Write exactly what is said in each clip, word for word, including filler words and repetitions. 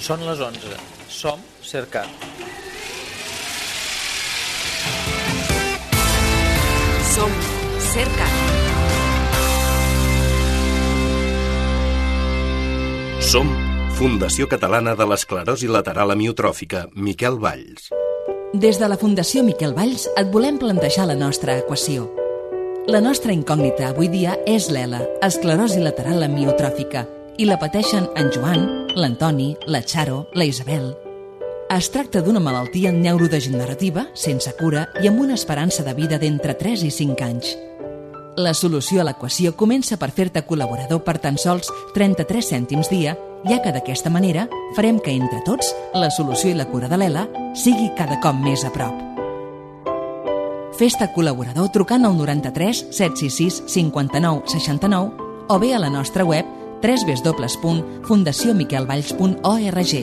Són les onze. Som Cercat. Som Cercat. Som Fundació Catalana de l'Esclerosi Lateral Amiotròfica, Miquel Valls. Des de la Fundació Miquel Valls et volem plantejar la nostra equació. La nostra incògnita avui dia és l'E L A, esclerosi lateral amiotròfica, i la pateixen en Joan, l'Antoni, la Charo, la Isabel. Es tracta d'una malaltia neurodegenerativa, sense cura i amb una esperança de vida d'entre tres i cinc anys. La solució a l'equació comença per fer-te col·laborador per tan sols trenta-tres cèntims dia, ja que d'aquesta manera farem que entre tots la solució i la cura de l'E L A sigui cada cop més a prop. Fes-te col·laborador trucant al noranta-tres set sis sis cinquanta-nou seixanta-nou o bé a la nostra web w w w punt fundació miquel valls punt org.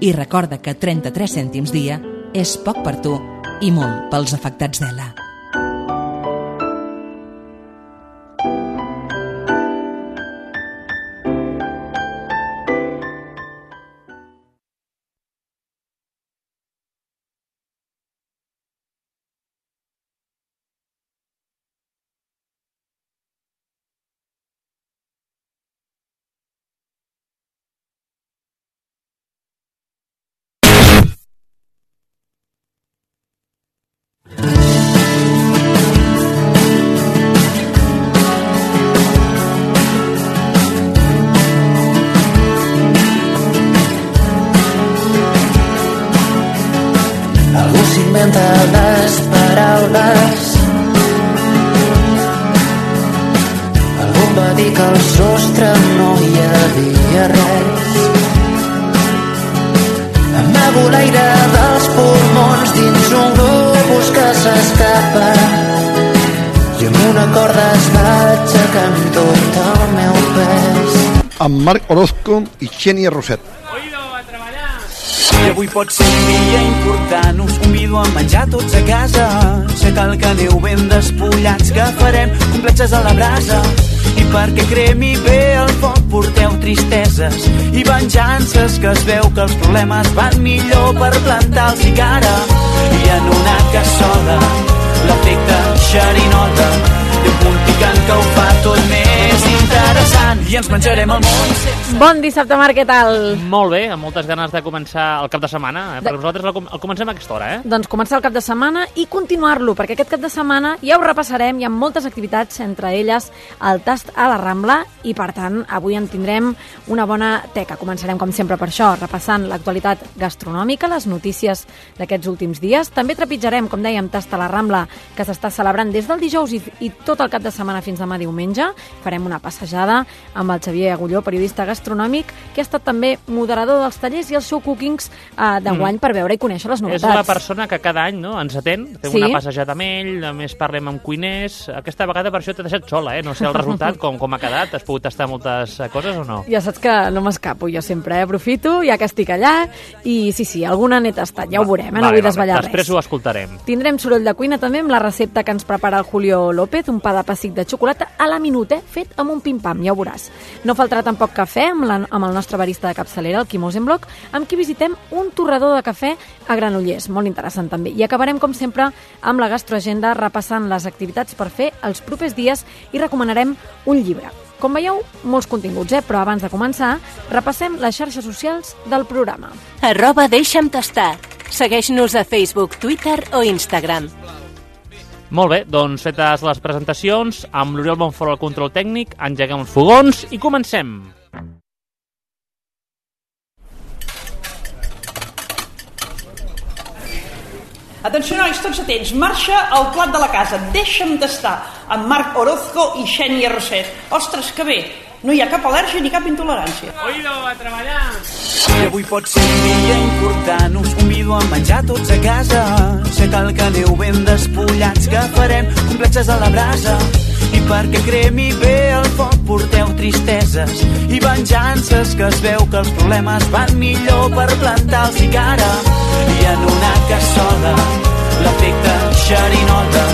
I recorda que trenta-tres cèntims dia és poc per tu i molt pels afectats d'E L A. Les paraules. Algú em va dir que al sostre no hi havia res. Amago l'aire dels pulmons dins un globus que s'escapa i amb una corda es va aixecant tot el meu pes. Amb Marc Orozco i Xènia Roset. I avui pot ser un dia important, us convido a menjar tots a casa. Sé que el que aneu ben despullats, que farem complexes a la brasa. I perquè cremi bé el foc porteu tristeses i venjances, que es veu que els problemes van millor per plantar-los i cara. I en una cassola l'efecte xerinota té un punt picant que ho fa tot més interessant i ens menjarem el món. Bon dissabte, Marc, què tal? Molt bé, amb moltes ganes de començar el cap de setmana, eh? Perquè nosaltres el, el comencem a aquesta hora, eh? Doncs començar el cap de setmana i continuar-lo, perquè aquest cap de setmana ja ho repassarem, hi ha moltes activitats, entre elles el tast a la Rambla, i per tant avui en tindrem una bona teca. Començarem com sempre per això, repassant l'actualitat gastronòmica, les notícies d'aquests últims dies. També trepitjarem, com dèiem, tast a la Rambla, que s'està celebrant des del dijous i, i tot el cap de setmana fins demà diumenge. Farem una passejada amb el Xavier Agulló, periodista gastronòmic, que ha estat també moderador dels tallers i els show cookings eh, d'enguany mm. per veure i conèixer les novetats. És una persona que cada any, no, ens atén, fem sí? una passejada amb ell, a més parlem amb cuiners. Aquesta vegada per això t'he deixat sola, eh? No sé el resultat, com, com ha quedat. Has pogut tastar moltes coses o no? Ja saps que no m'escapo, jo sempre eh? aprofito, ja que estic allà, i sí, sí, alguna n'he tastat, ja ho veurem, eh? No vale, vull desvetllar vale. res. Després ho escoltarem. Tindrem soroll de cuina també amb la recepta que ens prepara el Julio López, un pa de pessic de xocolata a la minut, eh? Fet amb un pim-pam, ja ho veuràs. No faltarà tampoc cafè amb, la, amb el nostre barista de capçalera, el Quim Osenbloc, amb qui visitem un torrador de cafè a Granollers, molt interessant també. I acabarem, com sempre, amb la gastroagenda, repassant les activitats per fer els propers dies i recomanarem un llibre. Com veieu, molts continguts, eh? Però abans de començar, repassem les xarxes socials del programa. Arroba deixa'm tastar. Segueix-nos a Facebook, Twitter o Instagram. Molt bé, doncs fetes les presentacions, amb l'Oriol Bonfort al control tècnic, engeguem els fogons i comencem. Atenció, nois, tots atents. Marxa al plat de la casa. Deixa'm tastar amb Marc Orozco i Xènia Roset. Ostres, que bé. No hi ha cap al·lèrgia ni cap intolerància. Oído, a treballar! I avui pot ser un dia important, us convido a menjar tots a casa. Sé que el que aneu ben despullats, que farem complexes a la brasa. I perquè cremi bé el foc porteu tristeses i venjances, que es veu que els problemes van millor per plantar-los i cara. I en una cassola l'efecte xerinota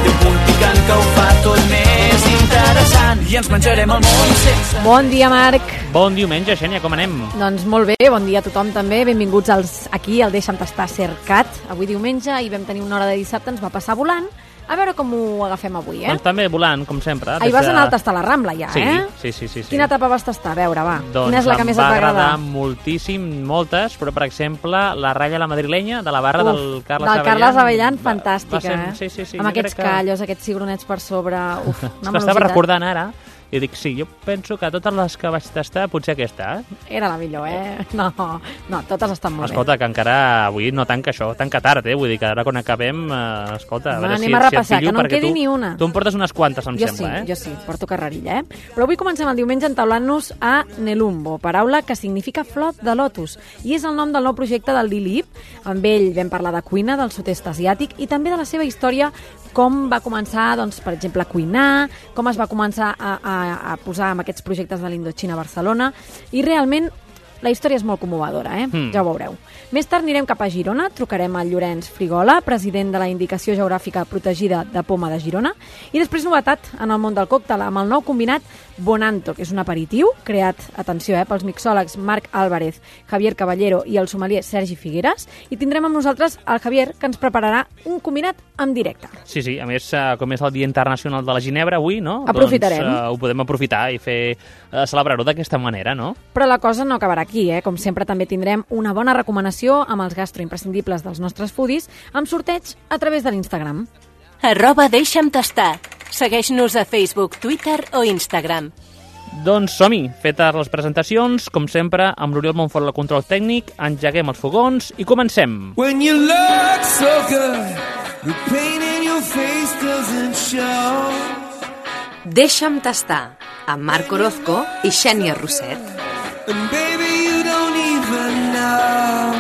té un punt picant que ho fa tot més interessant. interessant i ens menjarem el món sense... Bon dia, Marc. Bon diumenge, Xènia, com anem? Doncs molt bé, bon dia a tothom també. Benvinguts als, aquí al Deixa'm Tastar Cercat. Avui diumenge i vam tenir una hora de dissabte, ens va passar volant. A veure com ho agafem avui, eh? Doncs també volant, com sempre. Ahir vas anar al tastar la Rambla, ja, sí, eh? Sí, sí, sí, sí. Quina etapa vas tastar? A veure, va. Doncs Quina és la que més et va agradar? Em va agradar moltíssim, moltes, però, per exemple, la ratlla la madrilenya, de la barra Uf, del Carles del Avellan. Carles Avellan, fantàstica, va ser, eh? Sí, sí, sí. Amb aquests que... callos, aquests cibronets per sobre... Uf, una malositat. Estava recordant ara, i dic, sí, jo penso que totes les que vaig tastar, potser aquesta, eh? Era la millor, eh? No, no, totes estan molt escolta, bé. que encara avui no tanca això, tanca tard, eh? Vull dir que ara quan acabem, eh, escolta, a veure anem si, a repassar, si que no en quedi tu, ni una. Tu em portes unes quantes, em jo sembla, sí, eh? Jo sí, porto carrerilla, eh? Però avui comencem el diumenge entaulant-nos a Nelumbo, paraula que significa flor de lotus, i és el nom del nou projecte del Lilip. Amb ell vam parlar de cuina del sud-est asiàtic i també de la seva història, com va començar, doncs, per exemple, a cuinar, com es va començar a, a, a posar amb aquests projectes de l'Indochina a Barcelona, i realment la història és molt commovedora, eh? Mm. Ja ho veureu. Més tard anirem cap a Girona, trucarem al Llorenç Frigola, president de la Indicació Geogràfica Protegida de Poma de Girona, i després novetat en el món del còctel amb el nou combinat Bonanto, que és un aperitiu creat, atenció, eh, pels mixòlegs Marc Álvarez, Javier Caballero i el sommelier Sergi Figueres, i tindrem amb nosaltres el Javier, que ens prepararà un combinat en directe. Sí, sí, a més, com és el Dia Internacional de la Ginebra avui, no? Aprofitarem. Doncs uh, ho podem aprofitar i fer uh, celebrar-ho d'aquesta manera, no? Però la cosa no acabarà aquí, eh? Com sempre també tindrem una bona recomanació amb els gastroimprescindibles dels nostres foodies amb sorteig a través de l'Instagram. Arroba Deixa'm Tastar. Segueix-nos a Facebook, Twitter o Instagram. Doncs som-hi, fetes les presentacions, com sempre, amb l'Oriol Montfort al control tècnic, engeguem els fogons i comencem. When you look so good, the pain in your face doesn't show. Deixa'm tastar, amb Marc Orozco i Xènia Roset. And baby, you don't even know.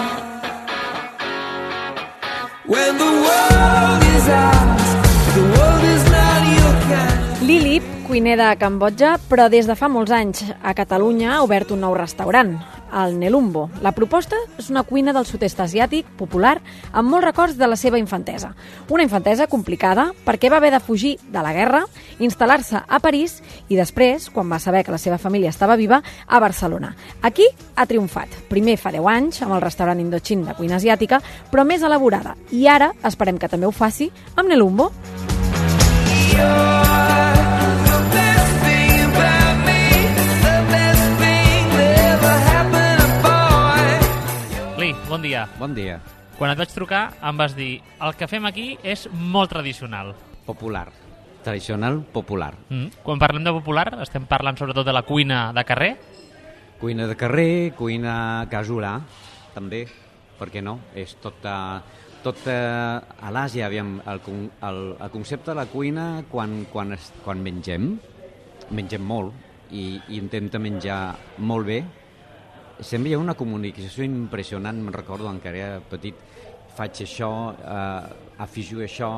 When the world is ours, the world is not your kind. Lilip, cuiner de Cambodja, però des de fa molts anys a Catalunya ha obert un nou restaurant, el Nelumbo. La proposta és una cuina del sud-est asiàtic, popular, amb molts records de la seva infantesa. Una infantesa complicada perquè va haver de fugir de la guerra, instal·lar-se a París i després, quan va saber que la seva família estava viva, a Barcelona. Aquí ha triomfat. Primer fa deu anys, amb el restaurant Indochin de cuina asiàtica, però més elaborada. I ara esperem que també ho faci amb Nelumbo. Bon dia. Bon dia. Quan et vaig trucar em vas dir el que fem aquí és molt tradicional. Popular. Tradicional, popular. Mm. Quan parlem de popular estem parlant sobretot de la cuina de carrer? Cuina de carrer, cuina casolà, també, per què no? És tot, uh, tot uh, a l'Àsia, aviam, el, el, el concepte de la cuina quan, quan, es, quan mengem, mengem molt i, i intenta menjar molt bé. Sempre hi ha una comunicació impressionant, me'n recordo encara era petit, faig això, eh, afegio això,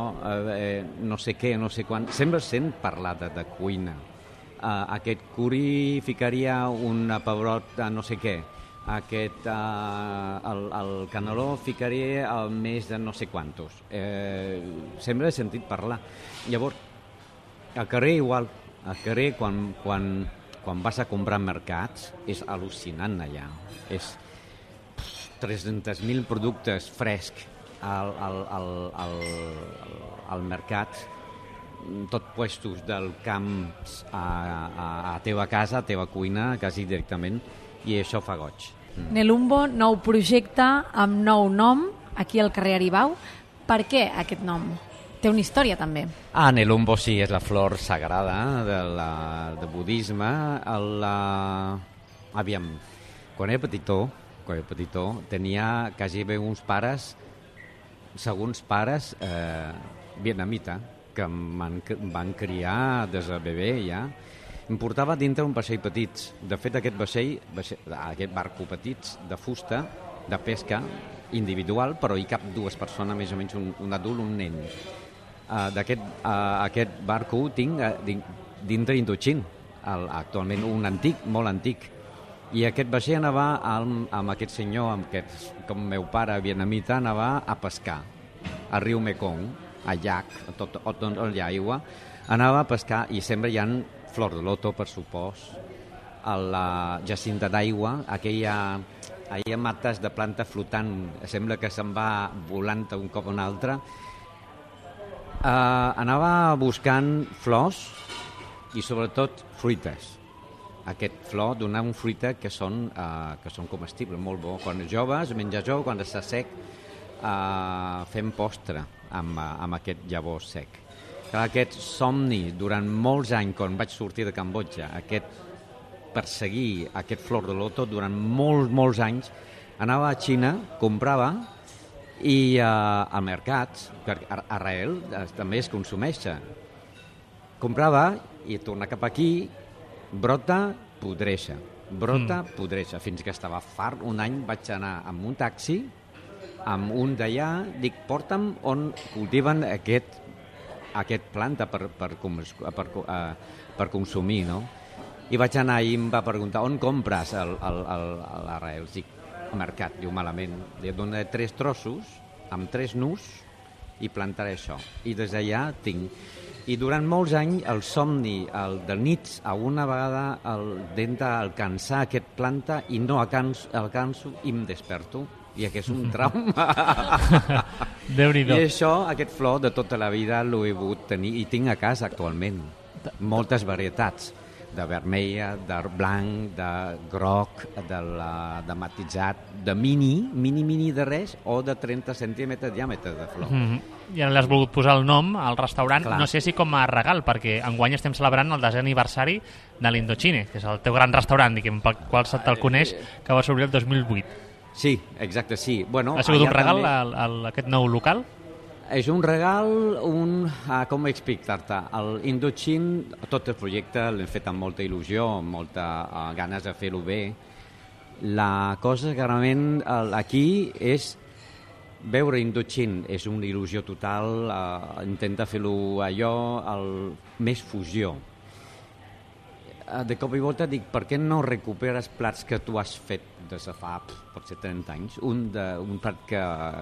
eh, no sé què, no sé quan, sempre sent parlar de, de cuina. Eh, aquest curri ficaria un pebrot de no sé què, aquest, eh, el, el caneló ficaria el més de no sé quantos. Eh, sempre he sentit parlar. Llavors, al carrer igual, al carrer quan... quan Quan vas a comprar mercats, és al·lucinant allà. És tres-cents mil productes frescs al, al, al, al, al mercat, tot puestos del camp a, a, a teva casa, a teva cuina, quasi directament, i això fa goig. Mm. Nelumbo, nou projecte amb nou nom, aquí al carrer Aribau. Per què aquest nom? Té una història, també. Ah, Nelumbo sí, és la flor sagrada de, la, de budisme. La... Aviam, quan era petitó, quan era petitó, tenia quasi bé uns pares, segons pares, eh, vietnamita, que em van, van criar des de bebè ja. Em portava dintre un vaixell petits. De fet, aquest vaixell, vaixell aquest barco petits de fusta, de pesca, individual, però hi cap dues persones, més o menys un, un adult, un nen. Uh, d'aquest uh, aquest barco tinc uh, dintre Indochin, el, actualment un antic, molt antic, i aquest vaixell anava amb, amb aquest senyor, amb aquest, com meu pare vietnamita, anava a pescar al riu Mekong, al llac, tot, tot, tot hi ha aigua, Anava a pescar i sempre hi ha flor de loto, per supost, a la jacinta d'aigua, aquella, aquella mates de planta flotant, sembla que se'n va volant un cop o un altre. Uh, anava buscant flors i sobretot fruites. Aquest flor dona un fruita que són, uh, que són comestibles, molt bo. Quan és jove es menja jove, quan està sec uh, fem postre amb, uh, amb aquest llavor sec. Clar, aquest somni durant molts anys, quan vaig sortir de Cambodja, aquest perseguir aquest flor de loto durant molts, molts anys, anava a Xina, comprava, i uh, al mercat, perquè a Israel uh, també es consumeix. Comprava i torna cap aquí, brota, podreixa, brota, mm. podreixa, fins que estava fart. Un any vaig anar amb un taxi, amb un d'allà, dic, porta'm on cultiven aquest, aquest planta per, per, per, uh, per consumir, no? I vaig anar i em va preguntar, on compres l'arrel? Dic, al mercat, diu, malament. Li donaré tres trossos, amb tres nus, i plantaré això. I des d'allà tinc. I durant molts anys el somni el de nits, a una vegada el d'alcançar aquest planta i no alcanço, alcanço i em desperto. I aquest és un trauma. Déu-n'hi-do. I això, aquest flor de tota la vida l'ho he pogut tenir i tinc a casa actualment. Moltes varietats, de vermella, de blanc, de groc, de, la, de matitzat, de mini, mini, mini de res, o de trenta centímetres de diàmetre de flor. Mm-hmm. I ara l'has volgut posar el nom al restaurant, clar. No sé si com a regal, perquè enguany estem celebrant el desè aniversari de l'Indochine, que és el teu gran restaurant, diguem, pel qual se'l te'l coneix, que va s'obrir el dos mil vuit. Sí, exacte, sí. Bueno, ha sigut un regal també... al, al, aquest nou local? És un regal, un, ah, com explicar-te, l'Indochine, tot el projecte l'hem fet amb molta il·lusió, amb molta uh, ganes de fer-ho bé. La cosa que realment aquí és veure Indochine, és una il·lusió total, uh, intenta fer-lo allò, el, més fusió. Uh, de cop i volta dic, per què no recuperes plats que tu has fet des de fa, potser trenta anys? Un, de, un plat que,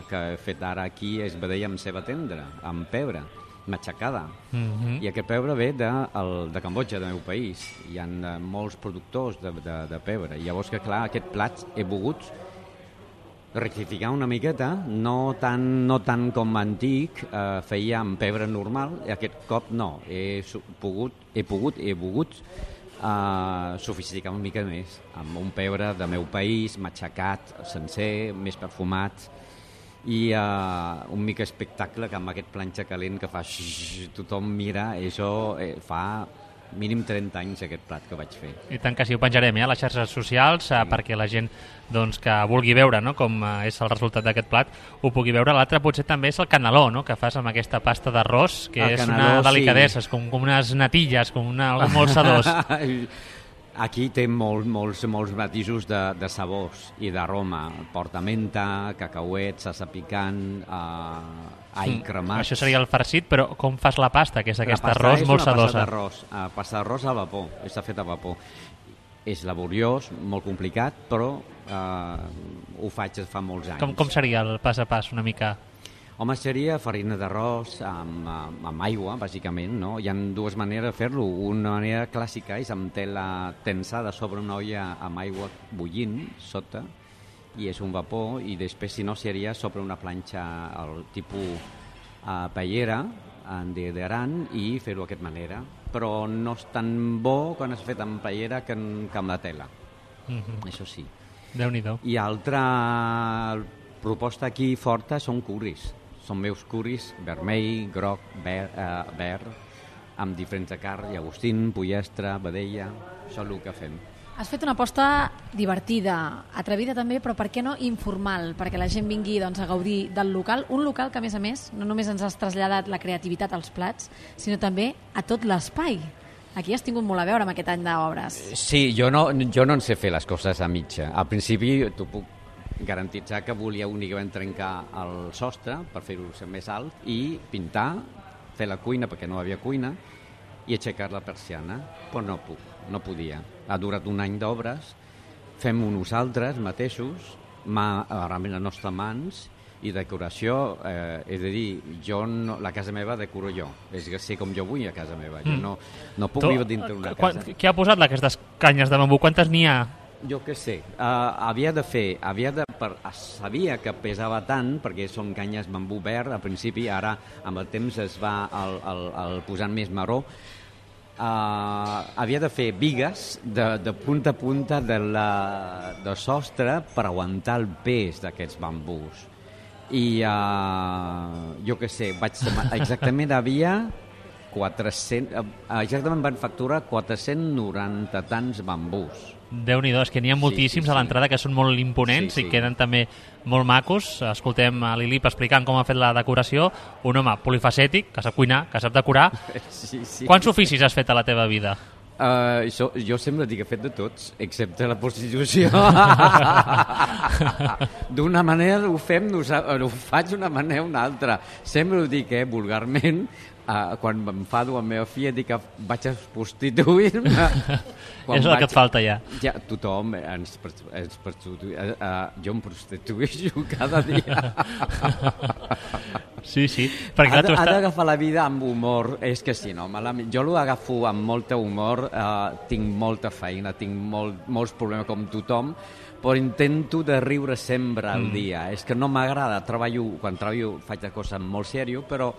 que he fet ara aquí és vedella amb ceba tendra, amb pebre, matxacada. Mm-hmm. I aquest pebre ve de, el, de Cambodja, del meu país. Hi ha uh, molts productors de, de, de pebre. I llavors que, clar, aquest plat he volgut rectificar una miqueta, no tant, no tant com antic, eh, feia amb pebre normal, i aquest cop no. He pogut, he pogut, he volgut Uh, sofisticar una mica més, amb un pebre del meu país, matxacat, sencer, més perfumat, i uh, un mica espectacle que amb aquest planxa calent que fa xxxt, tothom mira, això eh, fa mínim trenta anys aquest plat que vaig fer. I tant que sí, ho penjarem eh, a les xarxes socials sí. eh, perquè la gent doncs, que vulgui veure no, com eh, és el resultat d'aquest plat ho pugui veure. L'altre potser també és el caneló, no, que fas amb aquesta pasta d'arròs, que el és caneló, una delicadesa, sí. com, com unes natilles, com una, algo molt sedós. Aquí té molt, molts, molts matisos de, de sabors i d'aroma. Porta menta, cacauet, salsa picant, uh, all cremat. Això seria el farcit, però com fas la pasta, que és aquest la arròs és molt sedosa? Pasta d'arròs, uh, pasta d'arròs a vapor, està fet a vapor. És laboriós, molt complicat, però uh, ho faig des fa molts anys. Com, com seria el pas a pas, una mica? Home, seria farina d'arròs amb, amb, amb aigua, bàsicament, no? Hi ha dues maneres de fer-lo. Una manera clàssica és amb tela tensada sobre una olla amb aigua bullint sota, i és un vapor, i després, si no, seria sobre una planxa el tipus uh, paellera, d'Aran, i fer-ho d'aquesta manera. Però no és tan bo quan és fet amb paellera que, que amb la tela. Mm-hmm. Això sí. Déu-n'hi-do. I altra proposta aquí forta són curris. Són meus curris vermell, groc, ver, eh, verd, amb diferents de carn, llagostín, pollastre, vedella, això és el que fem. Has fet una aposta divertida, atrevida també, però per què no informal, perquè la gent vingui doncs, a gaudir del local, un local que a més a més no només ens has traslladat la creativitat als plats, sinó també a tot l'espai. Aquí has tingut molt a veure amb aquest any d'obres. Sí, jo no, jo no en sé fer les coses a mitja. Al principi t'ho puc garantitzar que volia únicament trencar el sostre per fer-ho més alt i pintar, fer la cuina perquè no hi havia cuina i aixecar la persiana, però no puc, no podia. Ha durat un any d'obres, fem-ho nosaltres mateixos, mà, realment les nostres mans, I decoració, eh, és a dir, jo no, la casa meva decoro jo, és que sé com jo vull a casa meva, jo no, no puc viure dintre una casa. Què ha posat aquestes canyes de bambú? Quantes n'hi ha? Jo què sé, uh, havia de fer, havia de, per, sabia que pesava tant, perquè són canyes bambú verd al principi, ara amb el temps es va el, el, el posant més marró, uh, havia de fer bigues de, de punta a punta de, la, de sostre per aguantar el pes d'aquests bambús. I uh, jo què sé, vaig, exactament havia quatre-cents, exactament van facturar quatre-cents noranta tants bambús. Déu-n'hi-do, és que n'hi ha moltíssims sí, sí, sí. a l'entrada que són molt imponents sí, sí. i queden també molt macos. Escoltem a l'Ilip explicant com ha fet la decoració. Un home polifacètic, que sap cuinar, que sap decorar. Sí, sí. Quants oficis has fet a la teva vida? Uh, jo, jo sempre dic que he fet de tots, excepte la prostitució. D'una manera ho fem, ho faig d'una manera o una altra. Sempre ho dic, eh, vulgarment, uh, quan m'enfado amb la meva filla dic que vaig a prostituir-me. És el vaig... que et falta ja. Ja tothom ens, ens prostituï. Uh, uh, jo em prostitueixo cada dia. Sí, sí. Ha d'agafar la vida amb humor, és que si no, malament. Jo l'ho agafo amb molt humor, eh, tinc molta feina, tinc molt, molts problemes com tothom, però intento de riure sempre al mm. dia. És que no m'agrada, treballo, quan treballo faig de coses molt serioses, però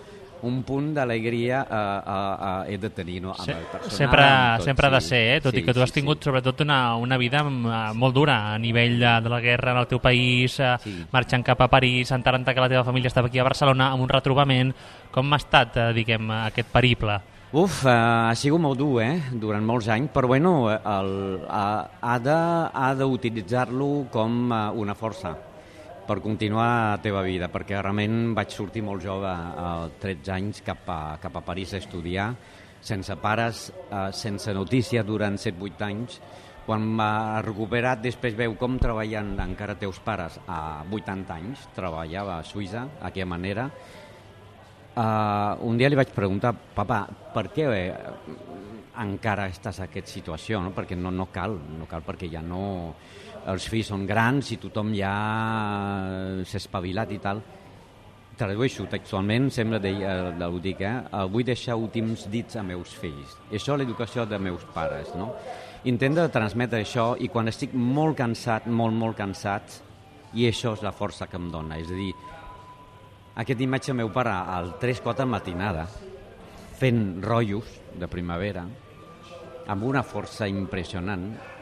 un punt d'alegria uh, uh, uh, he de tenir, no? Amb el personal, sempre tot, sempre ha de ser, eh? Tot sí, i que tu has sí, tingut sí. sobretot una, una vida molt dura a nivell de, de la guerra en el teu país, sí. marxant cap a París, enterant que la teva família estava aquí a Barcelona amb un retrobament. Com ha estat, eh, diguem, aquest periple? Uf, uh, ha sigut molt dur, eh? Durant molts anys, però bueno, el, uh, ha d'utilitzar-lo com uh, una força per continuar la teva vida, perquè realment vaig sortir molt jove, a tretze anys, cap a, cap a París a estudiar, sense pares, eh, sense notícia durant set vuit anys. Quan m'ha recuperat, després veu com treballen encara teus pares a vuitanta anys, treballava a Suïssa, d'aquella manera. Uh, un dia li vaig preguntar, papa, per què eh, encara estàs en aquesta situació? No? Perquè no, no cal, no cal perquè ja no... Els fills són grans i tothom ja s'ha espavilat i tal. Tradueixo textualment, sembla que ho dic, eh? Vull deixar últims dits a meus fills. I això és l'educació de meus pares, no? Intento transmetre això i quan estic molt cansat, molt, molt cansat, i això és la força que em dona. És a dir, aquest imatge meu pare al tres quatre matinada, fent rotllos de primavera, amb una força impressionant,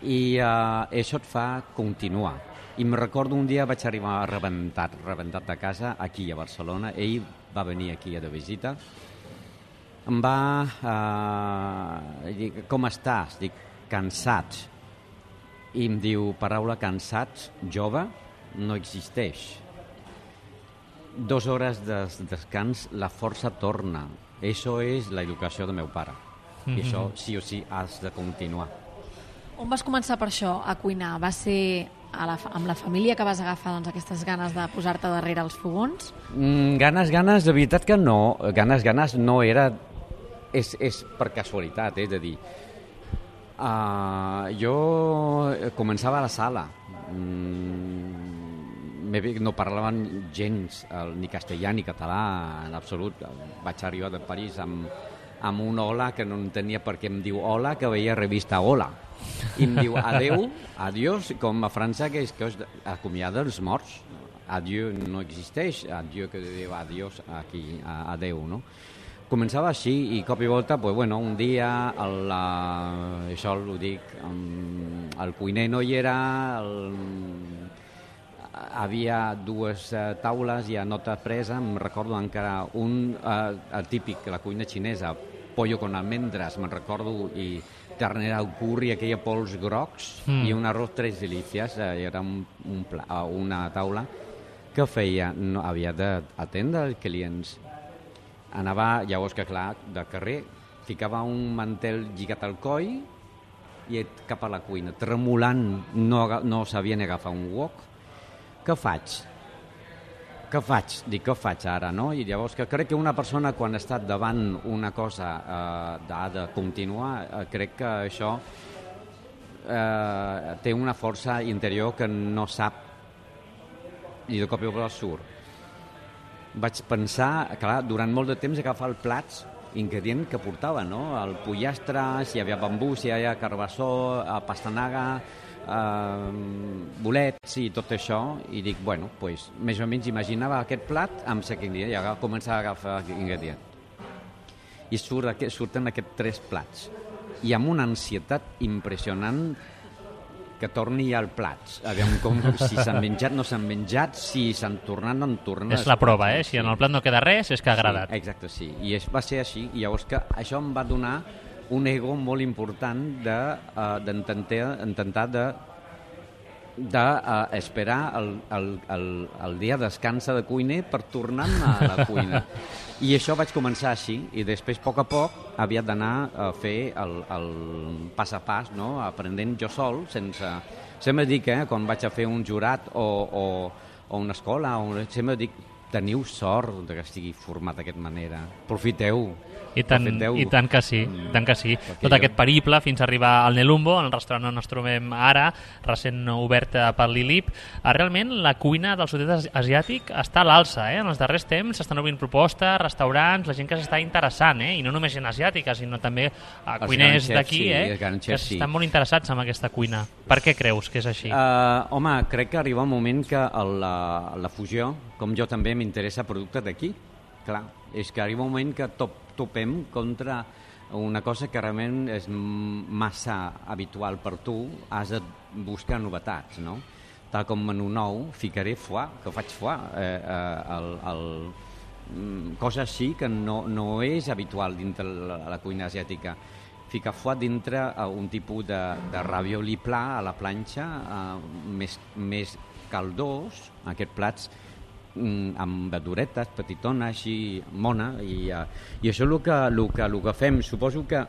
i uh, això et fa continuar. I em recordo un dia vaig arribar rebentat, rebentat de casa aquí a Barcelona. Ell va venir aquí de visita. Em va uh, dir, com estàs? Dic, cansat. I em diu, paraula cansat, jove, no existeix. Dos hores de descans, la força torna. Això és l'educació de meu pare. Mm-hmm. I això sí o sí has de continuar. On vas començar per això, a cuinar? Va ser a la, amb la família que vas agafar doncs, aquestes ganes de posar-te darrere els fogons? Mm, ganes, ganes, de veritat que no. Ganes, ganes no era... És, és per casualitat, és a dir... Uh, jo començava a la sala. Mm, no parlaven gens ni castellà ni català, en absolut. Vaig arribar de París amb, amb un hola que no entenia per què em diu hola, que veia revista Hola. I em diu adeu, adiós, com a França que és que es acomiada els morts. Adieu no existeix, adieu que diu adiós aquí, adeu, no? Començava així i cop i volta, pues, bueno, un dia, el, uh, això ho dic, um, el cuiner no hi era, el, havia dues uh, taules i a nota presa, em recordo encara un, uh, el típic, la cuina xinesa, pollo con almendres, me'n recordo, i ternera al curri, aquella pols grocs, mm. i un arròs tres delícies, eh, era un, un pla, una taula que feia, no, havia d'atendre els clients. Anava, llavors que clar, de carrer, ficava un mantel lligat al coll i cap a la cuina, tremolant, no, no sabia ni agafar un wok. Què faig? Què faig? Dic, què faig ara, no? I llavors que crec que una persona quan ha estat davant una cosa eh, ha de continuar, eh, crec que això eh, té una força interior que no sap i de cop i volta surt. Vaig pensar, clar, durant molt de temps agafar els plats ingredient que portava, no? El pollastre, si hi havia bambú, si hi havia carbassó, pastanaga, eh, bolets i tot això, i dic, bueno, pues, més o menys imaginava aquest plat amb aquest ingredient, i ara començava a agafar ingredient. I surt, surten aquests tres plats, i amb una ansietat impressionant que torni al plats. Aviam com, si s'han menjat, no s'han menjat, si s'han tornat, no han tornat. És la prova, eh? Si en el plat no queda res, és que ha agradat. Sí, exacte, sí. I es, va ser així. I llavors que això em va donar un ego molt important de, uh, d'intentar intentar de d'esperar de, uh, el, el, el, el dia de descansa de cuiner per tornar a la cuina. I això vaig començar així, i després, a poc a poc, havia d'anar a fer el, el pas a pas, no? Aprenent jo sol, sense... Sempre dic, eh, quan vaig a fer un jurat o, o, o una escola, o... sempre dic, teniu sort que estigui format d'aquesta manera. Profiteu. I tant, I tant que sí, mm. tant que sí. Tot jo... aquest periple fins a arribar al Nelumbo, el restaurant on ens trobem ara, recent obert per l'I L I P. Realment la cuina del sud-est asiàtic està a l'alça, eh? En els darrers temps s'estan obrint propostes, restaurants, la gent que s'està interessant, eh? I no només gent asiàtica, sinó també a cuiners d'aquí, eh? Sí, que estan molt interessats en aquesta cuina. Per què creus que és així? Uh, home, crec que arriba un moment que el, la, la fusió, com jo també m'interessa productes d'aquí, clar, és que arriba un moment que top, topem contra una cosa que realment és massa habitual per tu, has de buscar novetats, no? Tal com menú nou, ficaré foie, que faig foie, eh, eh, el, el, cosa així que no, no és habitual dintre la, la cuina asiàtica. Ficar foie dintre un tipus de, de ravioli pla a la planxa, eh, més, més caldós, aquests plats amb verduretes, petitona, així, mona, i, uh, i això és el que, el, que, el que fem. Suposo que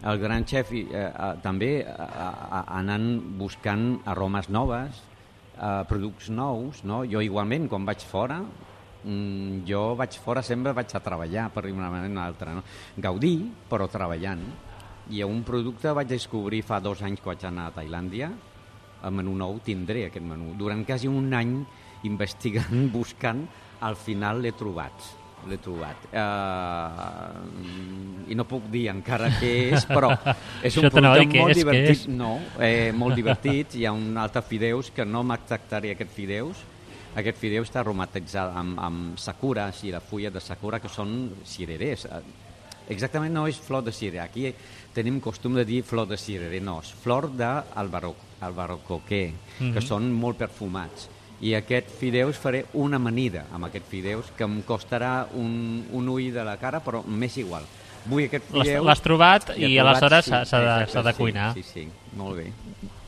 el gran xef uh, uh, també uh, anant buscant aromes noves, uh, productes nous, no? Jo igualment, quan vaig fora, um, jo vaig fora sempre vaig a treballar, per dir una manera o una altra, no? Gaudir, però treballant. I un producte vaig descobrir fa dos anys que vaig anar a Tailàndia, el menú nou tindré aquest menú. Durant quasi un any investigant, buscant, al final l'he trobat. L'he trobat. Uh, I no puc dir encara què és, però és un producte molt divertit. No, eh, molt divertit. Hi ha un altre fideus que no m'acceptaré aquest fideus. Aquest fideu està aromatitzat amb, amb sakura, i la fulla de sakura, que són cirerers. Exactament no és flor de cirerer. Aquí tenim costum de dir flor de cirerer. No, és flor d'albarrocoquer, mm-hmm. que són molt perfumats. I aquest fideus faré una amanida amb aquest fideus que em costarà un, un ull de la cara, però m'és igual. Vull aquest fideus... L'has trobat i, i aleshores s'ha sí, de, de cuinar. Sí, sí, sí, molt bé.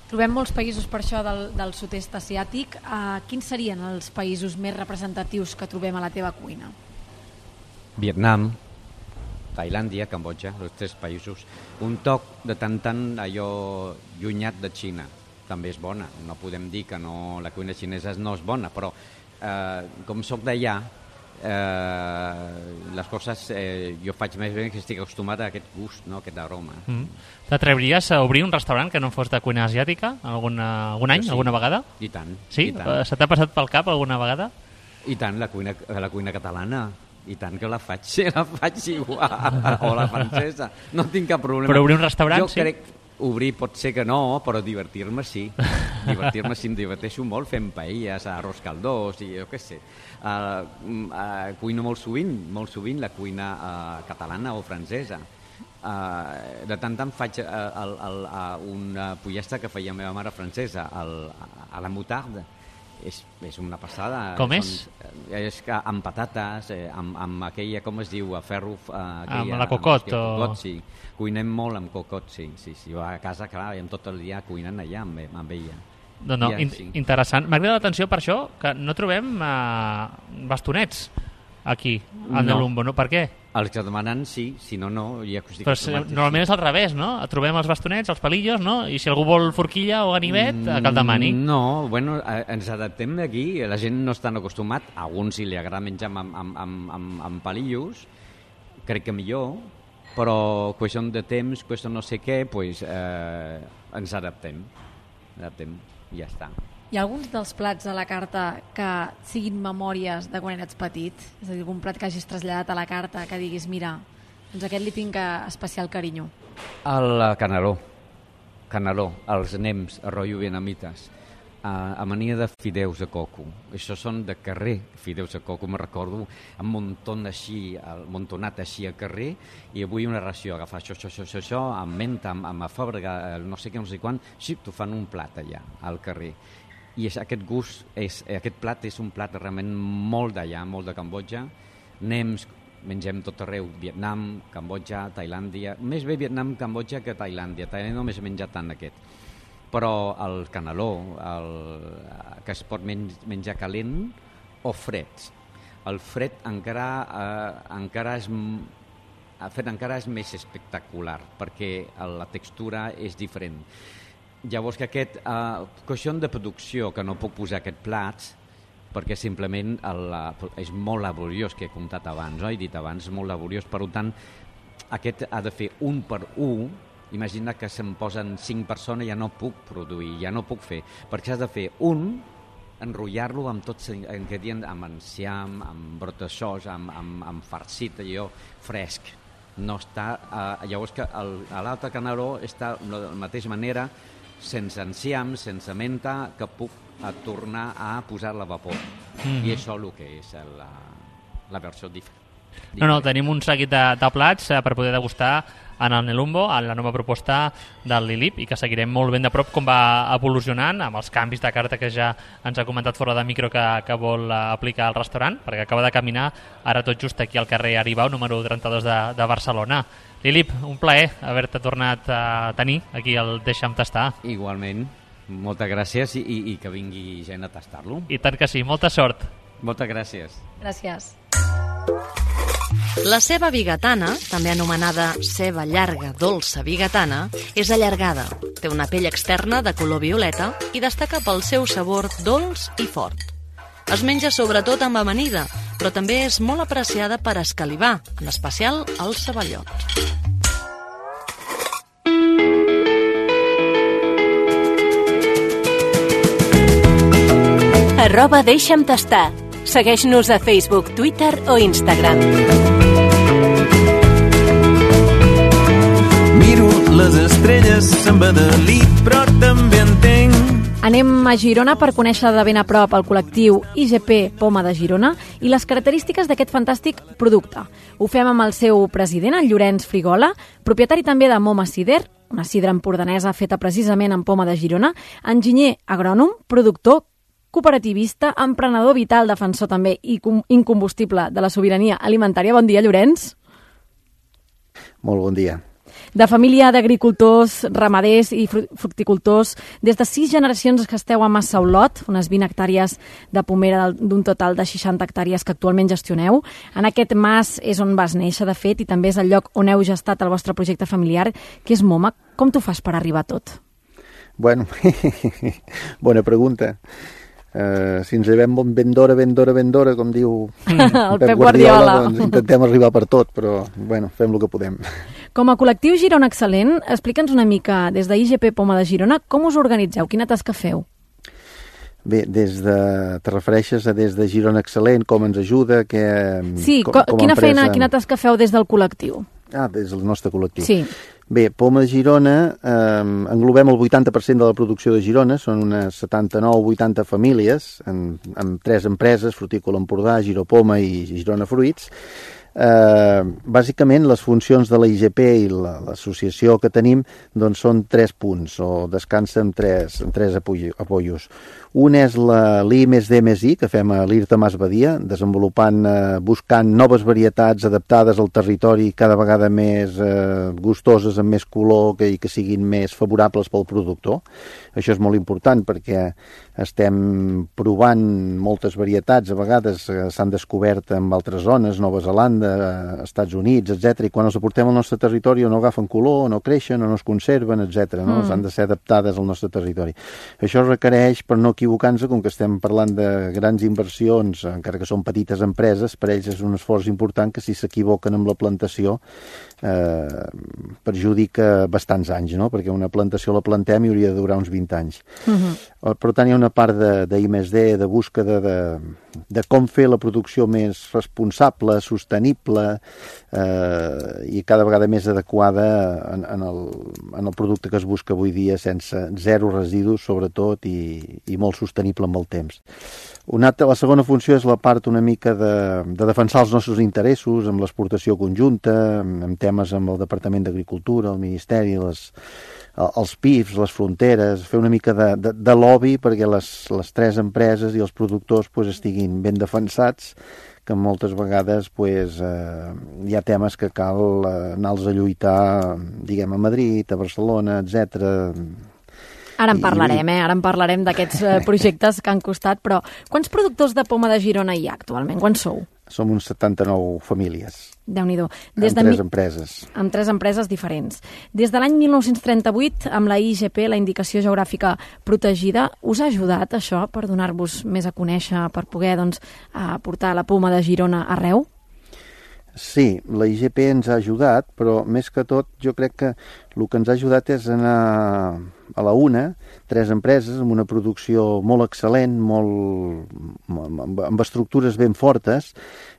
Trobem molts països per això del, del sud-est asiàtic. Uh, quins serien els països més representatius que trobem a la teva cuina? Vietnam, Tailàndia, Cambodja, els tres països. Un toc de tant tant allò llunyat de Xina. També és bona, no podem dir que no, la cuina xinesa no és bona, però eh, com soc d'allà, eh, les coses eh, jo faig més bé que estic acostumat a aquest gust, no? Aquest aroma. Mm. T'atreviries a obrir un restaurant que no fos de cuina asiàtica alguna, algun any, sí, alguna vegada? I tant. Sí? I tant. Se t'ha passat pel cap alguna vegada? I tant, la cuina, la cuina catalana. I tant que la faig, la faig igual, o la francesa. No tinc cap problema. Però obrir un restaurant, jo sí? Crec, obrir pot ser que no, però divertir-me sí. Divertir-me sí, em diverteixo molt fent paelles, arròs caldós i jo què sé. Uh, uh, cuino molt sovint, molt sovint la cuina uh, catalana o francesa. Uh, de tant en faig uh, el, el, uh, una pollastre que feia la meva mare francesa, el, a la moutarde. És, és una passada. Com és? Són, és que amb patates, eh, amb, amb aquella, com es diu, a ferro... Eh, aquella, amb la cocot? Amb, o... cocot, sí. Cuinem molt amb cocot, sí. sí, sí. A casa, clar, i tot el dia cuinant allà amb, amb ella. No, no, ja, in sí. Interessant. M'ha cridat l'atenció per això que no trobem uh, bastonets aquí, al Nelumbo, no? Per què? Els que demanen sí, si no, no. Ja Però si, normalment és al revés, no? Trobem els bastonets, els palillos, no? I si algú vol forquilla o ganivet, mm, que el demani. No, bueno, ens adaptem d'aquí, la gent no està acostumat, a alguns si li agrada menjar amb, amb, amb, amb, amb palillos, crec que millor, però qüestió de temps, qüestió no sé què, pues, eh, ens adaptem, adaptem, i ja està. Hi ha alguns dels plats a la carta que siguin memòries de quan eres petit? És a dir, algun plat que hagis traslladat a la carta que diguis, mira, doncs aquest li tinc especial carinyo. El caneló. Caneló, els nems, arroyo vietnamites. Uh, amania de fideus de coco. Això són de carrer, fideus de coco, me recordo, un muntó així, muntonat així al carrer, i avui una ració, agafar això, això, això, això, amb menta, amb, amb afòbrega, no sé què, no sé quan, sí, t'ho fan un plat allà, al carrer. I és, aquest gust, és, aquest plat és un plat realment molt d'allà, molt de Cambodja. Nems, mengem tot arreu, Vietnam, Cambodja, Tailàndia, més bé Vietnam, Cambodja que Tailàndia, Tailàndia només he menjat tant aquest. Però el caneló, el, que es pot menjar calent o fred. El fred encara, eh, encara, és, el fred encara és més espectacular, perquè la textura és diferent. Llavors que aquest, eh, qüestió de producció, que no puc posar aquest plat, perquè simplement el, és molt laboriós, que he comptat abans, no? He dit abans, molt laboriós, per tant, aquest ha de fer un per un. Imagina que se'm posen cinc persones, ja no puc produir, ja no puc fer, perquè has de fer un, enrotllar-lo amb tots els ingredients, amb enciam, amb brot de sos, amb, amb, amb farcit, allò fresc. No està, eh, llavors que el, l'altre caneló està de la mateixa manera, sense enciam, sense menta, que puc a tornar a posar la vapor. Mm-hmm. I això el que és la, la versió diferent. No, no, tenim un seguit de, de plats eh, per poder degustar en el Nelumbo, en la nova proposta del Lilip, i que seguirem molt ben de prop com va evolucionant amb els canvis de carta que ja ens ha comentat fora de micro que, que vol aplicar al restaurant, perquè acaba de caminar ara tot just aquí al carrer Aribau, número trenta-dos de, de Barcelona. Lilip, un plaer haver-te tornat a tenir aquí al Deixa'm Tastar. Igualment, moltes gràcies i, i, i que vingui gent a tastar-lo. I tant que sí, molta sort. Moltes gràcies. Gràcies. La ceba bigatana, també anomenada ceba llarga dolça bigatana, és allargada, té una pell externa de color violeta i destaca pel seu sabor dolç i fort. Es menja sobretot amb amanida, però també és molt apreciada per escalivar, en especial els ceballots. Arroba Deixa'm Tastar. Segueix-nos a Facebook, Twitter o Instagram. Miro les estrelles, se'n va de lit, però també entenc. Anem a Girona per conèixer de ben a prop el col·lectiu I G P Poma de Girona i les característiques d'aquest fantàstic producte. Ho fem amb el seu president, el Llorenç Frigola, propietari també de Moma Cider, una sidra empordanesa feta precisament en poma de Girona, enginyer agrònom, productor, cooperativista, emprenedor vital, defensor també i incombustible de la sobirania alimentària. Bon dia, Llorenç. Molt bon dia. De família d'agricultors, ramaders i fructicultors, des de sis generacions que esteu a Massa Olot, unes vint hectàrees de pomera d'un total de seixanta hectàrees que actualment gestioneu. En aquest mas és on vas néixer, de fet, i també és el lloc on heu gestat el vostre projecte familiar, que és Moma. Com t'ho fas per arribar a tot? Bueno, bona pregunta. Uh, si ens llevem ben d'hora, ben d'hora, ben d'hora, com diu el Pep, Pep Guardiola, Guardiola, doncs intentem arribar per tot, però bueno, fem el que podem. Com a col·lectiu Girona Excel·lent, explica'ns una mica, des de I G P Poma de Girona, com us organitzeu? Quina tasca feu? Bé, des de, te refereixes a des de Girona Excel·lent, com ens ajuda? Que, sí, com, com quina empresa... feina, quina tasca feu des del col·lectiu? Ah, des del nostre col·lectiu. Sí. Bé, Poma de Girona, eh, englobem el vuitanta per cent de la producció de Girona, són unes setanta-nou o vuitanta famílies, en, en tres empreses, Frutícola Empordà, Giropoma i Girona Fruits. Eh, bàsicament, les funcions de la I G P i l'associació que tenim doncs, són tres punts, o descansa en tres, en tres apoyos. Un és l'I més D més I, que fem a l'IRTA Mas Badia, desenvolupant, eh, buscant noves varietats adaptades al territori cada vegada més eh, gustoses, amb més color que, i que siguin més favorables pel productor. Això és molt important perquè estem provant moltes varietats, a vegades eh, s'han descobert en altres zones, Nova Zelanda, Estats Units, etcètera, i quan els aportem al nostre territori o no agafen color, o no creixen, o no es conserven, etcètera. No? Mm. Han de ser adaptades al nostre territori. Això requereix, per no equivocar-nos, com que estem parlant de grans inversions, encara que són petites empreses, per ells és un esforç important que si s'equivoquen amb la plantació eh, perjudica bastants anys, no? Perquè una plantació la plantem i hauria de durar uns vint anys. Uh-huh. Per tant, hi ha una part de, de I més D, de búsqueda de, de com fer la producció més responsable, sostenible eh, i cada vegada més adequada en, en, el, en el producte que es busca avui dia, sense zero residus, sobretot, i, i molt sostenible amb el temps. Una altra, la segona funció és la part una mica de, de defensar els nostres interessos amb l'exportació conjunta, amb temes amb el Departament d'Agricultura, el Ministeri, les, els P I Fs, les fronteres, fer una mica de, de, de lobby perquè les, les tres empreses i els productors pues, estiguin ben defensats, que moltes vegades pues, eh, hi ha temes que cal eh, anar-los a lluitar, diguem, a Madrid, a Barcelona, etcètera. Ara en parlarem, eh? Ara en parlarem d'aquests eh, projectes que han costat, però quants productors de poma de Girona hi ha actualment? Quants sou? Som uns setanta-nou famílies. Déu-n'hi-do. Des amb de tres mi... empreses. Amb tres empreses diferents. Des de l'any mil nou-cents trenta-vuit, amb la I G P, la Indicació Geogràfica Protegida, us ha ajudat això per donar-vos més a conèixer, per poder doncs, portar la poma de Girona arreu? Sí, la I G P ens ha ajudat, però més que tot jo crec que el que ens ha ajudat és anar a la una, tres empreses amb una producció molt excel·lent, molt, amb estructures ben fortes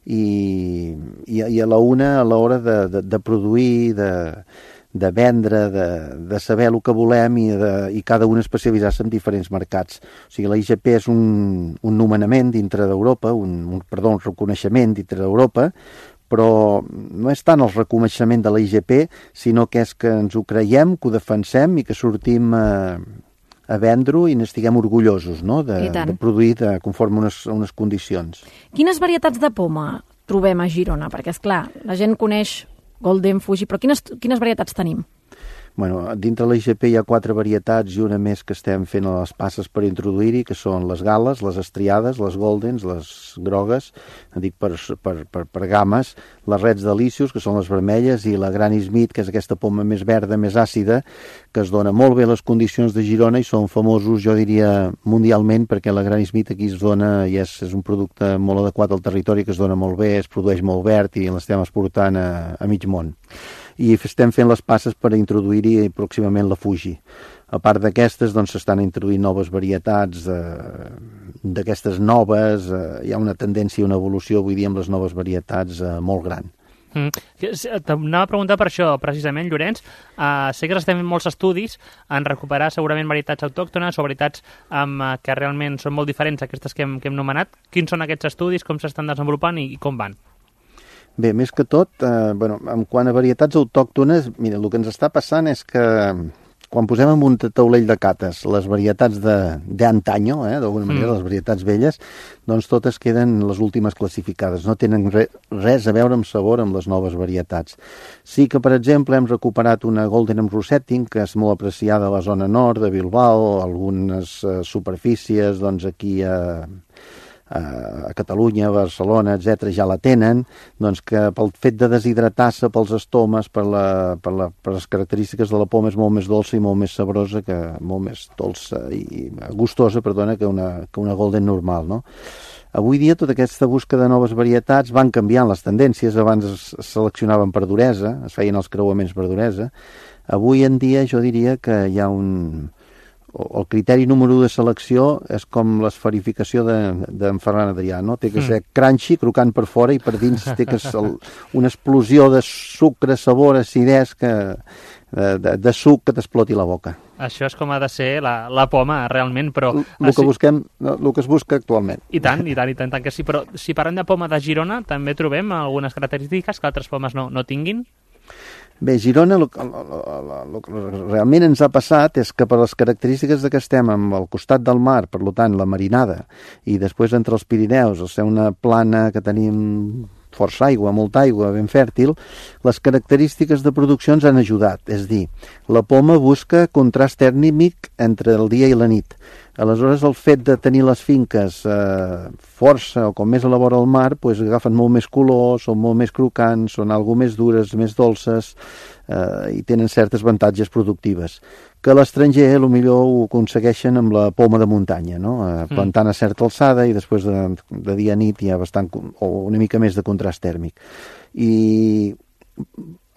i, i, i a la una a l'hora de, de, de produir, de, de vendre, de, de saber el que volem i, de, i cada un especialitzar-se en diferents mercats. O sigui, la I G P és un, un nomenament dintre d'Europa, un, un, perdó, un reconeixement dintre d'Europa, però no és tant el reconeixement de la I G P, sinó que és que ens ho creiem, que ho defensem i que sortim a, a vendre-ho i n'estiguem orgullosos, no? de, de produir de, conforme unes, unes condicions. Quines varietats de poma trobem a Girona? Perquè, és clar, la gent coneix Golden, Fuji, però quines, quines varietats tenim? Bueno, dintre la I G P hi ha quatre varietats i una més que estem fent a les passes per introduir-hi, que són les gales, les estriades, les goldens, les grogues, dic per, per, per, per games, les reds delicios, que són les vermelles, i la Granny Smith, que és aquesta poma més verda, més àcida, que es dona molt bé les condicions de Girona i són famosos, jo diria, mundialment, perquè la Granny Smith aquí es dona i és, és un producte molt adequat al territori, que es dona molt bé, es produeix molt verd i l'estem exportant a, a mig món. I estem fent les passes per introduir-hi pròximament la Fuji. A part d'aquestes, doncs, s'estan introduint noves varietats eh, d'aquestes noves, eh, hi ha una tendència, una evolució avui dia amb les noves varietats eh, molt gran. Mm. T'anava a preguntar per això, precisament, Llorenç. Uh, sé que estem fent molts estudis en recuperar segurament varietats autòctones o varietats um, que realment són molt diferents d'aquestes que hem, que hem nomenat. Quins són aquests estudis, com s'estan desenvolupant i, i com van? Bé, més que tot, eh, bueno, en quant a varietats autòctones, mira, el que ens està passant és que quan posem en un taulell de cates les varietats d'antanyo, eh, d'alguna manera, mm. les varietats velles, doncs totes queden les últimes classificades, no tenen re, res a veure amb sabor amb les noves varietats. Sí que, per exemple, hem recuperat una Golden amb Rosetting, que és molt apreciada a la zona nord de Bilbao, algunes eh, superfícies, doncs aquí a... a Catalunya, Barcelona, etcètera, ja la tenen, doncs que pel fet de deshidratar-se pels estomes, per, la, per, la, per les característiques de la poma és molt més dolça i molt més sabrosa, que molt més dolça i gustosa, perdona, que una, que una Golden normal, no? Avui dia tota aquesta busca de noves varietats van canviant les tendències, abans es seleccionaven per duresa, es feien els creuaments per duresa, avui en dia jo diria que hi ha un... el criteri número de selecció és com l'esferificació d'en de, Ferran Adrià, no? Té que ser crunchy, crocant per fora, i per dins té que ser el, una explosió de sucre, sabor, acidesa, que, de, de, de suc que t'exploti la boca. Això és com ha de ser la, la poma, realment, però... El que busquem, el que es busca actualment. I tant, i tant, i tant, tant que sí, però si parlem de poma de Girona, també trobem algunes característiques que altres pomes no, no tinguin? Bé, Girona, el, el, el, el que realment ens ha passat és que per les característiques de que estem al costat del mar, per tant, la marinada, i després entre els Pirineus, al ser una plana que tenim força aigua, molta aigua, ben fèrtil, les característiques de producció ens han ajudat. És dir, la poma busca contrast tèrmic entre el dia i la nit. Aleshores, el fet de tenir les finques eh, força o com més a la vora del mar, pues, agafen molt més color, són molt més crocants, són algo més dures, més dolces, eh, i tenen certes avantatges productives. Que a l'estranger potser ho aconsegueixen amb la poma de muntanya, no? eh, plantant a certa alçada i després de, de dia a nit hi ha bastant, o una mica més de contrast tèrmic. I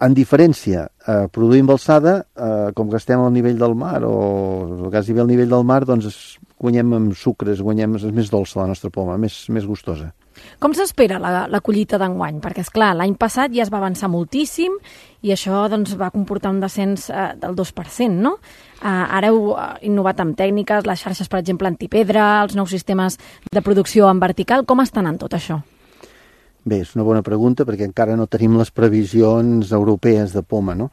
En diferència, eh, produir embalsada, eh, com que estem al nivell del mar o quasi bé al nivell del mar, doncs es, guanyem amb sucres, guanyem, és més dolça la nostra poma, més, més gustosa. Com s'espera la, la collita d'enguany? Perquè, és clar, l'any passat ja es va avançar moltíssim i això doncs, va comportar un descens eh, del dos per cent, no? Eh, ara heu innovat amb tècniques, les xarxes, per exemple, antipedra, els nous sistemes de producció en vertical. Com estan en tot això? Bé, és una bona pregunta perquè encara no tenim les previsions europees de poma, no?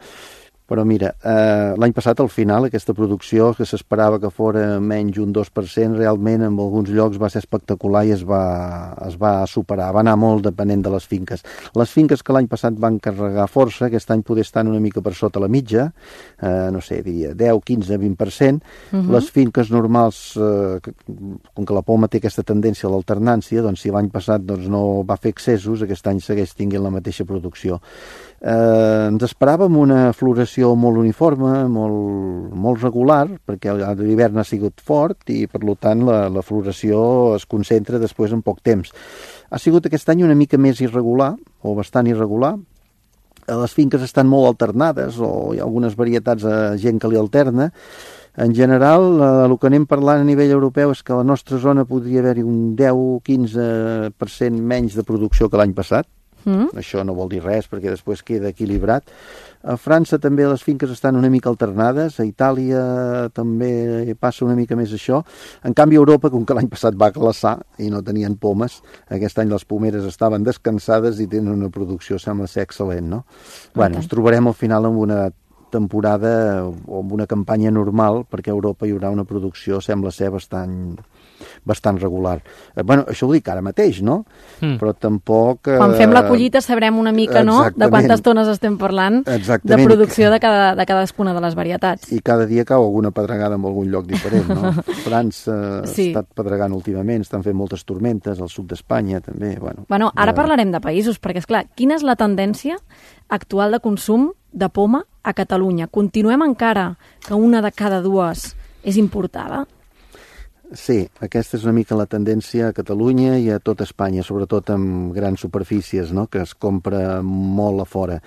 Però mira, eh, l'any passat al final aquesta producció que s'esperava que fora menys un dos per cent, realment en alguns llocs va ser espectacular i es va, es va superar, va anar molt depenent de les finques. Les finques que l'any passat van carregar força, aquest any poder estar una mica per sota la mitja, eh, no sé, diria deu, quinze, vint per cent. Uh-huh. Les finques normals, eh, que, com que la poma té aquesta tendència a l'alternància, doncs si l'any passat doncs, no va fer excessos, aquest any segueix tinguent la mateixa producció. Eh, ens esperàvem una floració molt uniforme, molt, molt regular, perquè l'hivern ha sigut fort i per tant la, la floració es concentra després en poc temps. Ha sigut aquest any una mica més irregular, o bastant irregular. Les finques estan molt alternades, o hi ha algunes varietats de gent que li alterna. En general, el que anem parlant a nivell europeu és que a la nostra zona podria haver-hi un deu o quinze per cent menys de producció que l'any passat. Mm. Això no vol dir res perquè després queda equilibrat. A França també les finques estan una mica alternades, a Itàlia també passa una mica més això. En canvi a Europa, com que l'any passat va glaçar i no tenien pomes, aquest any les pomeres estaven descansades i tenen una producció, sembla ser excel·lent, no? Okay. Bueno, ens trobarem al final amb una temporada o amb una campanya normal, perquè a Europa hi haurà una producció, sembla ser bastant bastant regular. Eh, bueno, això ho dic ara mateix, no? Mm. Però tampoc... Eh... Quan fem la collita sabrem una mica, no?, de quantes tones estem parlant. Exactament. De producció de, cada, de cadascuna de les varietats. I cada dia cau alguna pedregada en algun lloc diferent, no? França sí. ha estat pedregant últimament, estan fent moltes tormentes, al sud d'Espanya també, bueno. Bueno, ara eh... parlarem de països, perquè, esclar, quina és la tendència actual de consum de poma a Catalunya? Continuem encara que una de cada dues és importada? Sí, aquesta és una mica la tendència a Catalunya i a tot Espanya, sobretot amb grans superfícies, no?, que es compra molt a fora.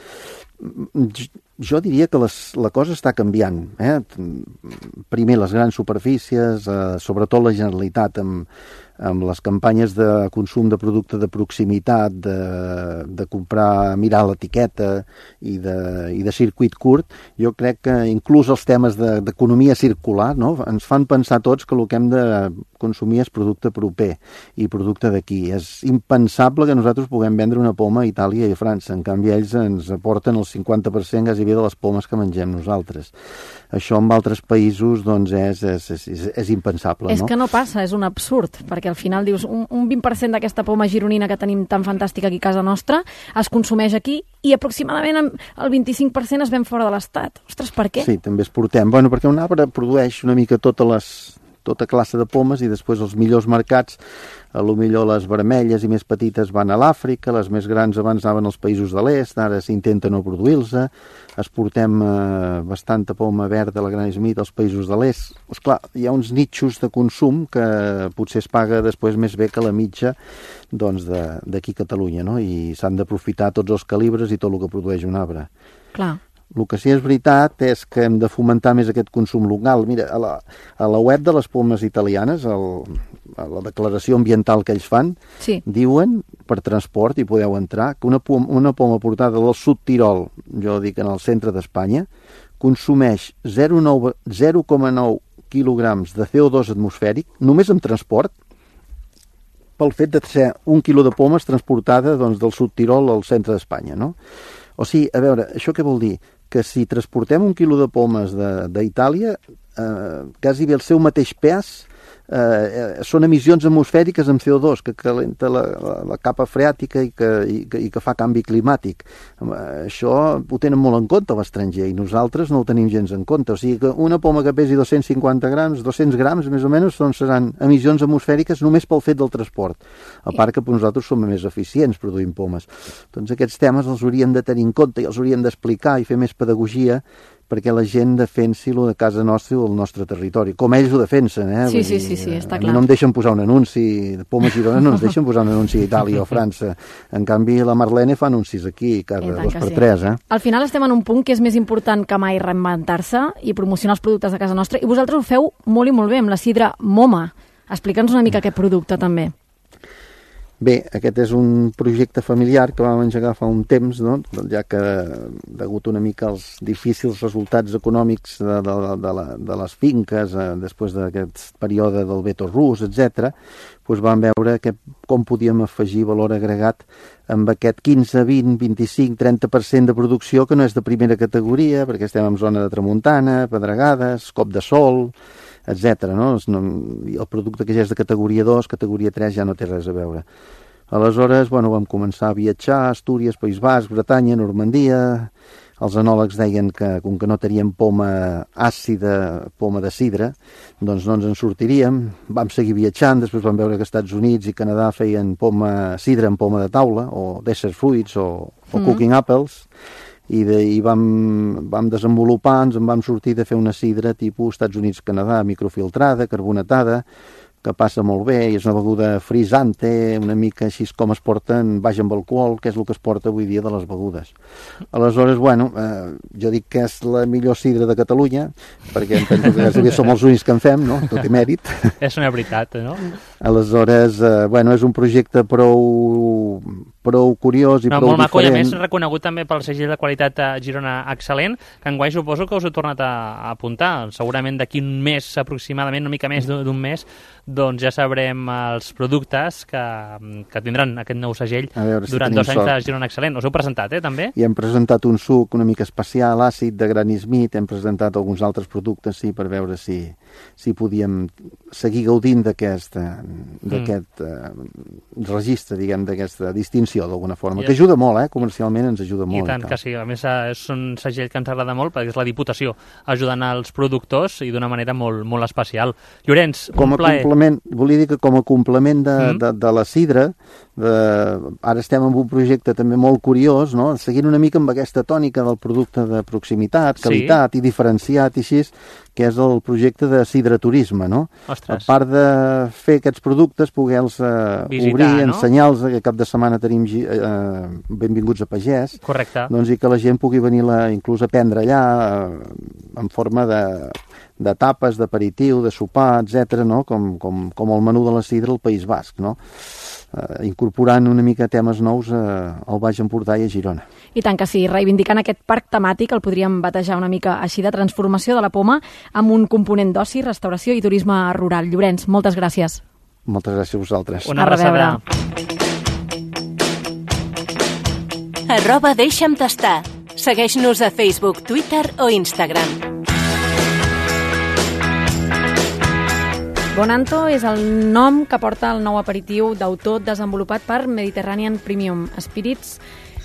Jo diria que les, la cosa està canviant. Eh? Primer, les grans superfícies, eh, sobretot la Generalitat, amb, amb les campanyes de consum de producte de proximitat, de, de comprar, mirar l'etiqueta i de, i de circuit curt, jo crec que inclús els temes de, d'economia circular, no?, ens fan pensar tots que el que hem de consumir és producte proper i producte d'aquí. És impensable que nosaltres puguem vendre una poma a Itàlia i a França. En canvi, ells ens aporten el cinquanta per cent gairebé de les pomes que mengem nosaltres. Això en altres països doncs és, és, és, és impensable, és no? És que no passa, és un absurd, perquè al final dius un, un vint per cent d'aquesta poma gironina que tenim tan fantàstica aquí a casa nostra es consumeix aquí i aproximadament el vint-i-cinc per cent es ven fora de l'Estat. Ostres, per què? Sí, també exportem. Bueno, perquè un arbre produeix una mica totes les tota classe de pomes i després els millors mercats, a lo millor les vermelles i més petites van a l'Àfrica, les més grans abans anaven als països de l'est, ara s'intenta no produir-los, exportem eh, bastanta poma verda a la Gran Smith als països de l'est. Esclar, hi ha uns nitxos de consum que potser es paga després més bé que la mitja doncs, d'aquí a Catalunya, no? I s'han d'aprofitar tots els calibres i tot el que produeix un arbre. Clar. El que sí és veritat és que hem de fomentar més aquest consum local. Mira, a la, a la web de les pomes italianes, el, a la declaració ambiental que ells fan, sí. diuen, per transport, i podeu entrar, que una poma, una poma portada del sud Tirol, jo dic en el centre d'Espanya, consumeix zero coma nou quilograms de C O dos atmosfèric, només amb transport, pel fet de ser un quilo de pomes transportada doncs, del sud Tirol al centre d'Espanya, no? O sigui, a veure, això què vol dir? Que si transportem un quilo de pomes d'Itàlia, eh, quasi bé el seu mateix pes eh, són emissions atmosfèriques amb C O dos, que calenta la, la, la capa freàtica i que, i, que, i que fa canvi climàtic. Això ho tenen molt en compte l'estranger i nosaltres no ho tenim gens en compte. O sigui que una poma que pesi dos-cents cinquanta grams, dos-cents grams més o menys, doncs seran emissions atmosfèriques només pel fet del transport. A part que nosaltres som més eficients produint pomes. Doncs aquests temes els hauríem de tenir en compte i els hauríem d'explicar i fer més pedagogia perquè la gent defensi lo de casa nostra i el nostre territori, com ells ho defensen, eh? Sí, Vull sí, dir, sí, sí, està a clar. mi no em deixen posar un anunci, de Poma Girona no ens deixen posar un anunci a Itàlia o França. En canvi, la Marlene fa anuncis aquí, cada I tant dos que per sí. tres, eh? Al final estem en un punt que és més important que mai reinventar-se i promocionar els productes de casa nostra, i vosaltres ho feu molt i molt bé amb la sidra Moma. Explica'ns una mica aquest producte, també. Bé, aquest és un projecte familiar que vam engegar fa un temps, no? Ja que, degut una mica als difícils resultats econòmics de, de, de, la, de les finques, eh, després d'aquest període del veto rus, etcètera, doncs vam veure que, com podíem afegir valor agregat amb aquest quinze, vint, vint-i-cinc, trenta per cent de producció que no és de primera categoria, perquè estem en zona de tramuntana, pedregades, cop de sol, etcètera. No? El producte que ja és de categoria dos, categoria tres ja no té res a veure. Aleshores, bueno, vam començar a viatjar, Astúries, País Basc, Bretanya, Normandia. Els enòlegs deien que, com que no teníem poma àcida, poma de sidra, doncs no ens en sortiríem. Vam seguir viatjant, després vam veure que Estats Units i Canadà feien poma, sidra en poma de taula, o desert fruits, o, o mm. cooking apples, i, de, i vam, vam desenvolupar, ens en vam sortir de fer una sidra tipus Estats Units-Canadà, microfiltrada, carbonatada, que passa molt bé, i és una beguda frisante, una mica així com es porten, baix amb alcohol, que és el que es porta avui dia de les begudes. Aleshores, bueno, eh, jo dic que és la millor sidra de Catalunya, perquè em penso que gairebé som els únics que en fem, no? Tot i mèrit. És una veritat, no? Aleshores, eh, bueno, és un projecte prou, prou curiós i no, prou molt maco, diferent. I a més reconegut també pel segell de qualitat a Girona excel·lent, que enguany suposo que us ho he tornat a, a apuntar. Segurament d'aquí un mes, aproximadament, una mica més d'un mes, doncs ja sabrem els productes que, que tindran aquest nou segell si durant dos anys sort. De Girona Excel·lent. Us heu presentat, eh, també? I hem presentat un suc una mica especial, àcid, de Granny Smith, hem presentat alguns altres productes, sí, per veure si, si podíem seguir gaudint d'aquest d'aquest mm. uh, registre, diguem, d'aquesta distinció, d'alguna forma, I que ajuda molt, eh, comercialment ens ajuda molt. I tant i que sí, a més és un segell que ens agrada molt, perquè és la Diputació ajudant als productors i d'una manera molt, molt especial. Llorenç, com un plaer. Volia dir que com a complement de, mm. de, de la sidra, de, ara estem en un projecte també molt curiós, no? Seguint una mica amb aquesta tònica del producte de proximitat, qualitat sí. i diferenciat i així, que és el projecte de sidraturisme, no? Ostres. A part de fer aquests productes, poder-los uh, obrir, no? Ensenyar-los, que cap de setmana tenim uh, benvinguts a pagès, correcte. Doncs i que la gent pugui venir la, inclús a prendre allà uh, en forma de de tapes, d'aperitiu, de sopar, etcètera, no? Com, com, com el menú de la sidra al País Basc, no? Eh, incorporant una mica temes nous eh, al Baix Empordà i a Girona. I tant que sí, reivindicant aquest parc temàtic, el podríem batejar una mica així, de transformació de la poma amb un component d'oci, restauració i turisme rural. Llorenç, moltes gràcies. Moltes gràcies a vosaltres. Una abraçada. Arroba deixa'm tastar. Segueix-nos a Facebook, Twitter o Instagram. Bonanto és el nom que porta el nou aperitiu d'autor desenvolupat per Mediterranean Premium Spirits,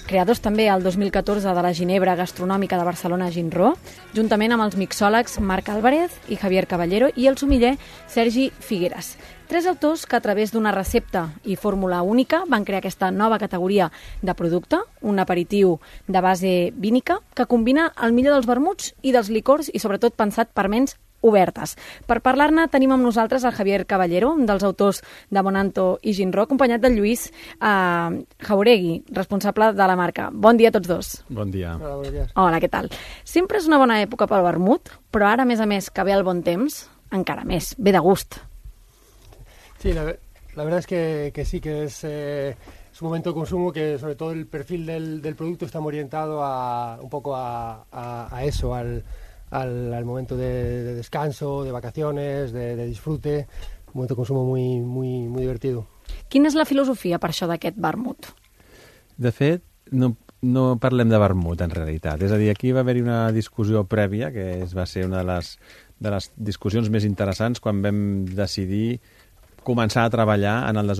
creadors també el dos mil catorze de la Ginebra Gastronòmica de Barcelona Ginró, juntament amb els mixòlegs Marc Álvarez i Javier Caballero i el sumiller Sergi Figueres. Tres autors que a través d'una recepta i fórmula única van crear aquesta nova categoria de producte, un aperitiu de base vínica que combina el millor dels vermuts i dels licors i sobretot pensat per ments obertes. Per parlar-ne tenim amb nosaltres el Javier Caballero, un dels autors de Bonanto i Ginró, acompanyat del Lluís eh, Jauregui, responsable de la marca. Bon dia a tots dos. Bon dia. Hola, bon dia. Hola, què tal? Sempre és una bona època pel vermut, però ara, a més a més, que ve el bon temps, encara més, ve de gust. Sí, la, la verdad es que, que sí, que es, eh, es un momento de consumo que sobre todo el perfil del, del producto está muy orientado a, un poco a, a, a eso, al Al, al momento de, de descanso, de vacaciones, de, de disfrute, un momento de consumo muy, muy, muy divertido. Quina és la filosofia per això d'aquest vermut? De fet, no, no parlem de vermut en realitat. És a dir, aquí va haver-hi una discussió prèvia, que es va ser una de les, de les discussions més interessants quan vam decidir començar a treballar en el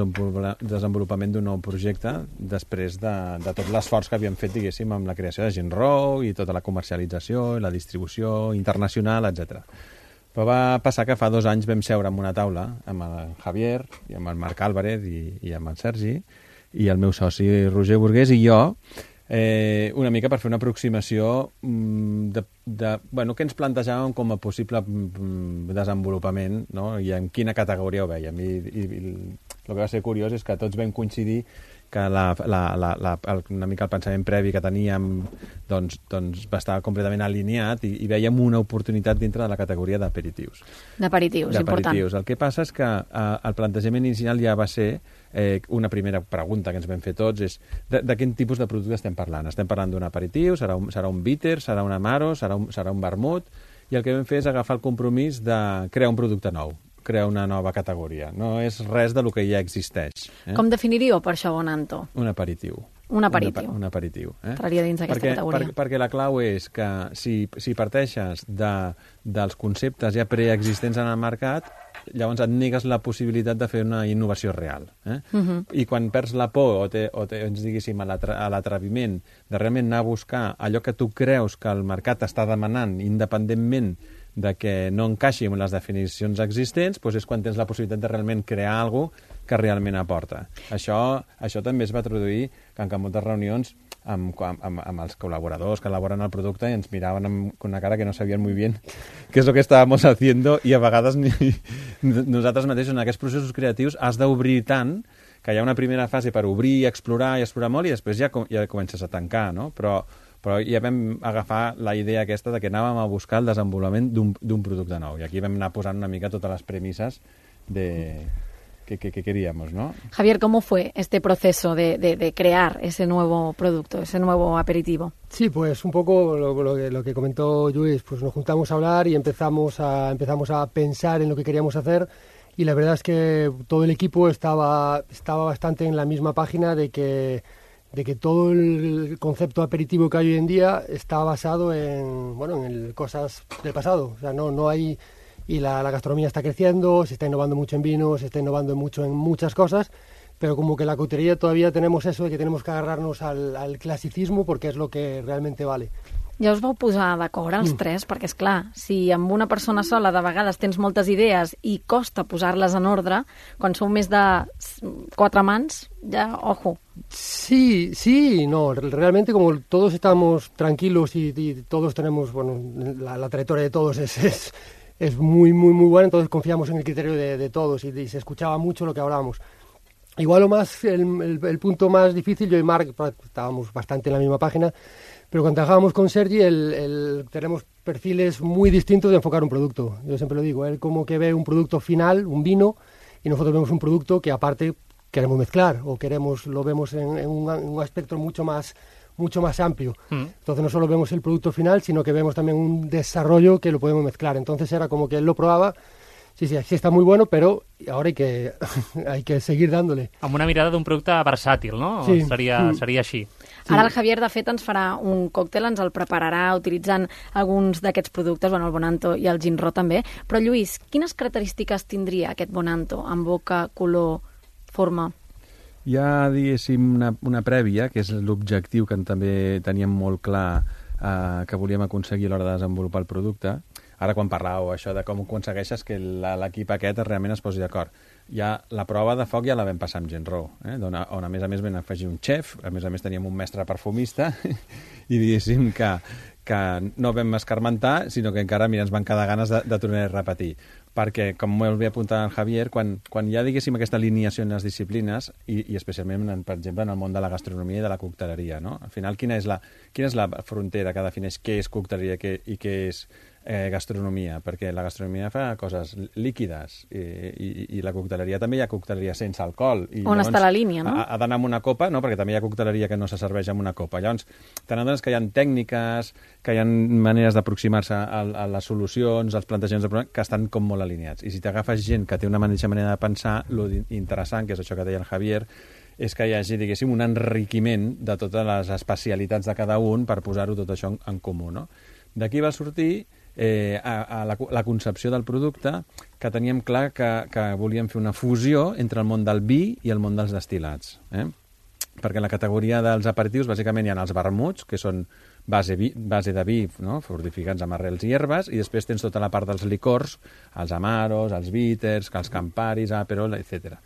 desenvolupament d'un nou projecte després de, de tot l'esforç que havíem fet, diguéssim, amb la creació de Ginró i tota la comercialització, la distribució internacional, etcètera. Però va passar que fa dos anys vam seure en una taula amb el Javier i amb el Marc Álvarez i, i amb el Sergi i el meu soci Roger Burgués i jo eh, una mica per fer una aproximació mm, de, de, bueno, que ens plantejàvem com a possible mm, desenvolupament, no? I en quina categoria ho vèiem. I, i, i el que va ser curiós és que tots vam coincidir que la, la, la, la, el, una mica el pensament previ que teníem doncs, doncs va estar completament alineat i, i vèiem una oportunitat dintre de la categoria d'aperitius. D'aperitius, important. El que passa és que eh, el plantejament inicial ja va ser eh, una primera pregunta que ens vam fer tots és de, de quin tipus de producte estem parlant? Estem parlant d'un aperitiu, serà un, serà un bitter, serà un amaro, serà un, serà un vermut, i el que vam fer és agafar el compromís de crear un producte nou, crear una nova categoria. No és res de lo que ja existeix. Eh? Com definiríeu per això Bonanto? Un aperitiu. Un aperitiu. Un, un aperitiu. Eh? Entraria dins d'aquesta perquè, categoria. Per, perquè la clau és que si, si parteixes de, dels conceptes ja preexistents en el mercat, llavors et negues la possibilitat de fer una innovació real. Eh? Uh-huh. I quan perds la por o, te, o te, ens diguéssim, a l'atreviment de realment anar a buscar allò que tu creus que el mercat està demanant independentment de que no encaixi amb les definicions existents, doncs és quan tens la possibilitat de realment crear alguna cosa que realment aporta. Això, això també es va traduir en que en moltes reunions amb, amb, amb els col·laboradors que elaboren el producte i ens miraven amb una cara que no sabien molt bé què és el que estàvem haciendo i a vegades ni, nosaltres mateixos en aquests processos creatius has d'obrir tant que hi ha una primera fase per obrir, explorar i explorar molt i després ja, ja comences a tancar, no? Però però ja vam agafar la idea aquesta de que anàvem a buscar el desenvolupament d'un producte nou. I aquí vam anar posant una mica totes les premisses de que, que, que queríamos, ¿no? Javier, ¿cómo fue este proceso de, de, de crear ese nuevo producto, ese nuevo aperitivo? Sí, pues un poco lo, lo, que, lo que comentó Lluís, pues nos juntamos a hablar y empezamos a, empezamos a pensar en lo que queríamos hacer y la verdad es que todo el equipo estaba, estaba bastante en la misma página de que de que todo el concepto aperitivo que hay hoy en día está basado en, bueno, en el, cosas del pasado. O sea, no, no hay... Y la, la gastronomía está creciendo, se está innovando mucho en vinos, se está innovando mucho en muchas cosas, pero como que la coctelería todavía tenemos eso de que tenemos que agarrarnos al, al clasicismo porque es lo que realmente vale. Ja us vau posar d'acord els Mm. tres, perquè és clar, si amb una persona sola de vegades tens moltes idees i costa posar-les en ordre, quan sou més de quatre mans, ja, ojo. Sí, sí, no, realmente como todos estamos tranquilos y, y todos tenemos, bueno, la, la trayectoria de todos es, es, es muy, muy, muy buena, entonces confiamos en el criterio de, de todos y, y se escuchaba mucho lo que hablábamos. Igual lo más, el, el, el punto más difícil, yo y Marc estábamos bastante en la misma página, pero cuando trabajábamos con Sergi, el, el, tenemos perfiles muy distintos de enfocar un producto. Yo siempre lo digo, él como que ve un producto final, un vino, y nosotros vemos un producto que aparte queremos mezclar o queremos lo vemos en, en, un, en un aspecto mucho más mucho más amplio. Mm. Entonces no solo vemos el producto final, sino que vemos también un desarrollo que lo podemos mezclar. Entonces era como que él lo probaba, sí, sí, sí está muy bueno, però ahora hay que, hay que seguir dándole. Amb una mirada d'un producte versàtil, no? Sí. Seria, Mm. seria així. Ara el Javier, de fet, ens farà un còctel, ens el prepararà utilitzant alguns d'aquests productes, bueno, el Bonanto i el Ginró també. Però, Lluís, quines característiques tindria aquest Bonanto en boca, color, forma? Hi ha, diguéssim, una, una prèvia, que és l'objectiu que també teníem molt clar eh, que volíem aconseguir a l'hora de desenvolupar el producte. Ara, quan parlàveu això de com aconsegueixes que la- l'equip aquest realment es posi d'acord. Ja la prova de foc ja la vam passar amb Ginró, eh? on, on a més a més vam afegir un xef, a més a més teníem un mestre perfumista i diguéssim que, que no vam escarmentar, sinó que encara mira, ens van quedar ganes de, de tornar a repetir. Perquè, com molt bé apuntat el Javier, quan, quan hi ha, diguéssim, aquesta alineació en les disciplines, i, i especialment, en, per exemple, en el món de la gastronomia i de la cocteleria, no? Al final, quina és la, quina és la frontera que defineix què és cocteleria què, i què és eh, gastronomia? Perquè la gastronomia fa coses líquides i, i, i la cocteleria també hi ha cocteleria sense alcohol. I On llavors, està la línia, no? Ha, ha d'anar amb una copa, no? Perquè també hi ha cocteleria que no se serveix amb una copa. Llavors, te n'adones que hi ha tècniques, que hi ha maneres d'aproximar-se a, a les solucions, als plantejaments de problema, que estan com molt alineats. I si t'agafes gent que té una mateixa manera de pensar, lo interessant, que és això que deia el Javier, és que hi hagi, diguéssim, un enriquiment de totes les especialitats de cada un per posar-ho tot això en, en comú, no? D'aquí va sortir eh, a, a la, la concepció del producte, que teníem clar que, que volíem fer una fusió entre el món del vi i el món dels destil·lats. Eh? Perquè en la categoria dels aperitius, bàsicament, hi ha els vermuts, que són base, vi, base de vi, no? Fortificats amb arrels i herbes, i després tens tota la part dels licors, els amaros, els bitters, els camparis, aperol, etcètera.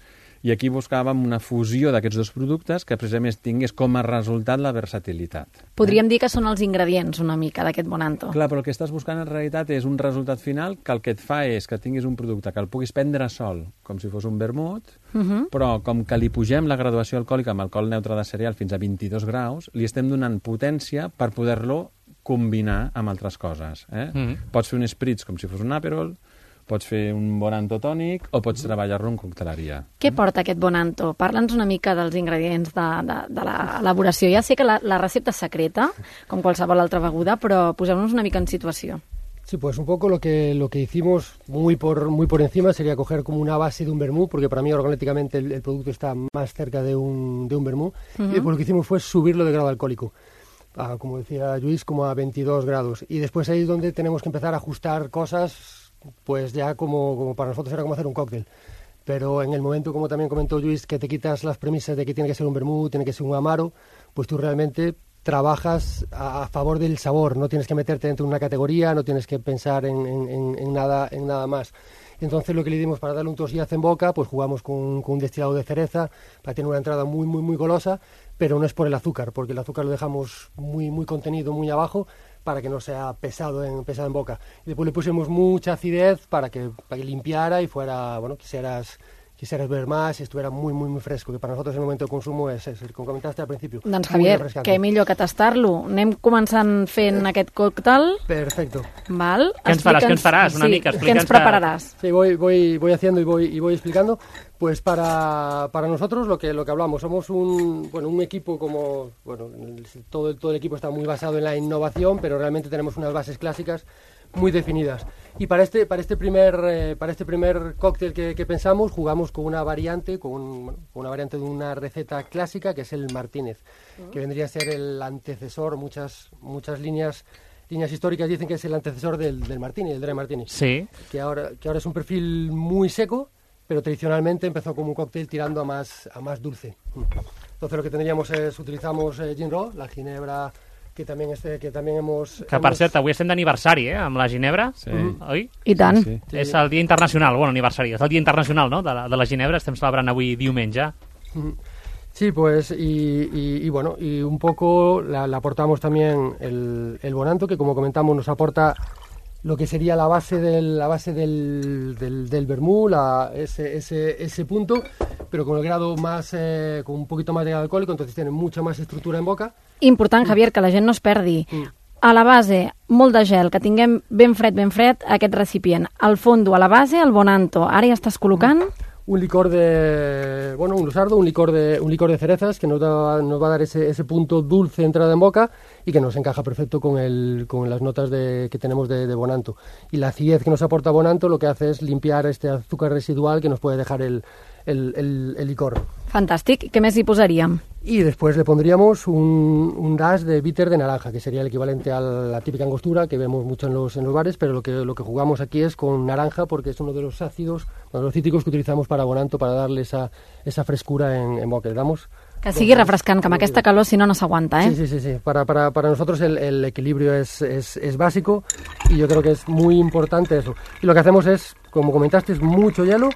I aquí buscàvem una fusió d'aquests dos productes que precisament tingués com a resultat la versatilitat. Podríem dir que són els ingredients una mica d'aquest Bonanto. Clar, però el que estàs buscant en realitat és un resultat final que el que et fa és que tinguis un producte que el puguis prendre sol, com si fos un vermut, Uh -huh. però com que li pugem la graduació alcohòlica amb alcohol neutre de cereal fins a vint-i-dos graus, li estem donant potència per poder-lo combinar amb altres coses. Eh? Mm. Pots fer un spritz com si fos un Aperol, pots fer un Bonanto tònic o pots treballar-lo en cocteleria. Què porta aquest Bonanto? Parla'ns una mica dels ingredients de, de, de l'elaboració. Ja sé que la, la recepta és secreta, com qualsevol altra beguda, però poseu-nos una mica en situació. Sí, pues un poco lo que lo que hicimos muy por muy por encima sería coger como una base de un vermú, porque para mí organolépticamente el, el producto está más cerca de un, de un vermú, Uh-huh. y después lo que hicimos fue subirlo de grado alcohólico, a, como decía Luis, como a veintidós grados. Y después ahí es donde tenemos que empezar a ajustar cosas, pues ya como, como para nosotros era como hacer un cóctel. Pero en el momento, como también comentó Luis, que te quitas las premisas de que tiene que ser un vermú, tiene que ser un amaro, pues tú realmente trabajas a, a favor del sabor, no tienes que meterte dentro de una categoría, no tienes que pensar en, en, en, nada, en nada más. Entonces lo que le dimos para darle un tosillazo en boca, pues jugamos con, con un destilado de cereza para tener una entrada muy, muy, muy golosa, pero no es por el azúcar, porque el azúcar lo dejamos muy, muy contenido, muy abajo, para que no sea pesado en, pesado en boca. Y después le pusimos mucha acidez para que, para que limpiara y fuera, bueno, quisieras... quisieras ver más y estuviera muy, muy, muy fresco, que para nosotros el momento de consumo és, és el que comentaste al principio. Doncs Javier, què millor que tastar-lo. Anem començant fent aquest còctel. Perfecto. Val? Què ens faràs? Què ens faràs? Una sí, mica, què ens prepararàs? Sí, voy, voy, voy haciendo y voy, y voy explicando. Pues para, para nosotros lo que, lo que hablamos, somos un, bueno, un equipo como, bueno, todo, todo el equipo está muy basado en la innovación, pero realmente tenemos unas bases clásicas muy definidas. Y para este, para este primer, eh, para este primer cóctel que, que pensamos, jugamos con una variante, con, un, bueno, con una variante de una receta clásica que es el Martínez, uh-huh. que vendría a ser el antecesor, muchas, muchas líneas, líneas históricas dicen que es el antecesor del, del Martini, del Dry Martini. Sí. Que ahora, que ahora es un perfil muy seco, pero tradicionalmente empezó como un cóctel tirando a más, a más dulce. Entonces lo que tendríamos es, utilizamos eh, gin raw, la ginebra que també, este, que també hemos... Que, per cert, avui estem d'aniversari, eh?, amb la ginebra, sí. Oi? I tant. Sí, sí. És el dia internacional, bueno, aniversari, és el dia internacional, no?, de la, de la ginebra, estem celebrant avui diumenge. Sí, pues, y, y, y bueno, y un poco le aportamos también el, el Bonanto, que como comentamos nos aporta lo que sería la base del, la base del, del, del vermú, la, ese, ese, ese punto, pero con el grado más, eh, con un poquito más de grado alcohólico, entonces tiene mucha más estructura en boca. Important, Javier, que la gent no es perdi. A la base, molt de gel, que tinguem ben fred, ben fred, aquest recipient. Al fondo, a la base, el Bonanto. Ara ja estàs col·locant... Un licor de, bueno, un lusardo, un licor de, un licor de cerezas que nos, da, nos va a dar ese, ese punto dulce entrada en boca y que nos encaja perfecto con, el, con las notas de, que tenemos de, de Bonanto. Y la acidez que nos aporta Bonanto lo que hace es limpiar este azúcar residual que nos puede dejar el, el, el, el licor. Fantàstic. Què més hi posaríem? Y después le pondríamos un, un dash de bitter de naranja, que sería el equivalente a la típica angostura que vemos mucho en los, en los bares, pero lo que, lo que jugamos aquí es con naranja porque es uno de los ácidos, uno de los cítricos que utilizamos para Bonanto para darle esa, esa frescura en, en boca. Le damos que sigui refrescant, que amb aquesta calor si no no s'aguanta, ¿eh? Sí, sí, sí, sí. Para, para, para nosotros el, el equilibrio es, es, es básico y yo creo que es muy importante eso. Y lo que hacemos es, como comentaste, es mucho hielo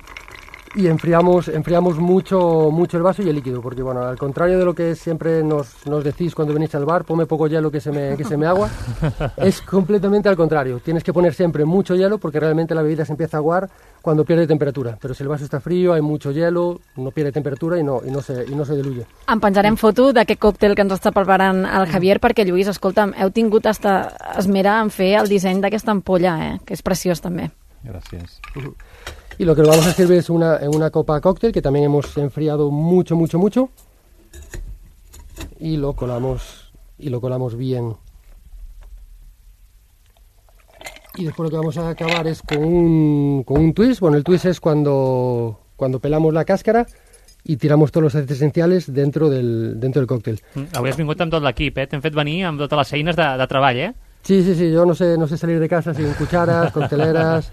y enfriamos, enfriamos mucho, mucho el vaso y el líquido, porque bueno, al contrario de lo que siempre nos, nos decís cuando venís al bar, ponme poco hielo que se me, que se me agua, es completamente al contrario. Tienes que poner siempre mucho hielo porque realmente la bebida se empieza a aguar cuando pierde temperatura, pero si el vaso está frío, hay mucho hielo, no pierde temperatura i no, i no, se, i no se diluye. En penjarem foto d'aquest còctel que ens està preparant el Javier, perquè Lluís, escolta'm, heu tingut hasta esmera en fer el disseny d'aquesta ampolla, eh? Que és preciós també. Gràcies. Y lo que vamos a servir es una, en una copa cóctel que también hemos enfriado mucho, mucho, mucho. Y lo colamos, y lo colamos bien. Y después lo que vamos a acabar es con un, con un twist. Bueno, el twist es cuando, cuando pelamos la cáscara i tiramos tots els aceites esencials dentro del, dentro del còctel. Mm, avui has vingut amb tot l'equip, eh? T'hem fet venir amb totes les eines de, de treball, eh? Sí, sí, sí, yo no sé, no sé salir de casa sin cucharas, cocteleras...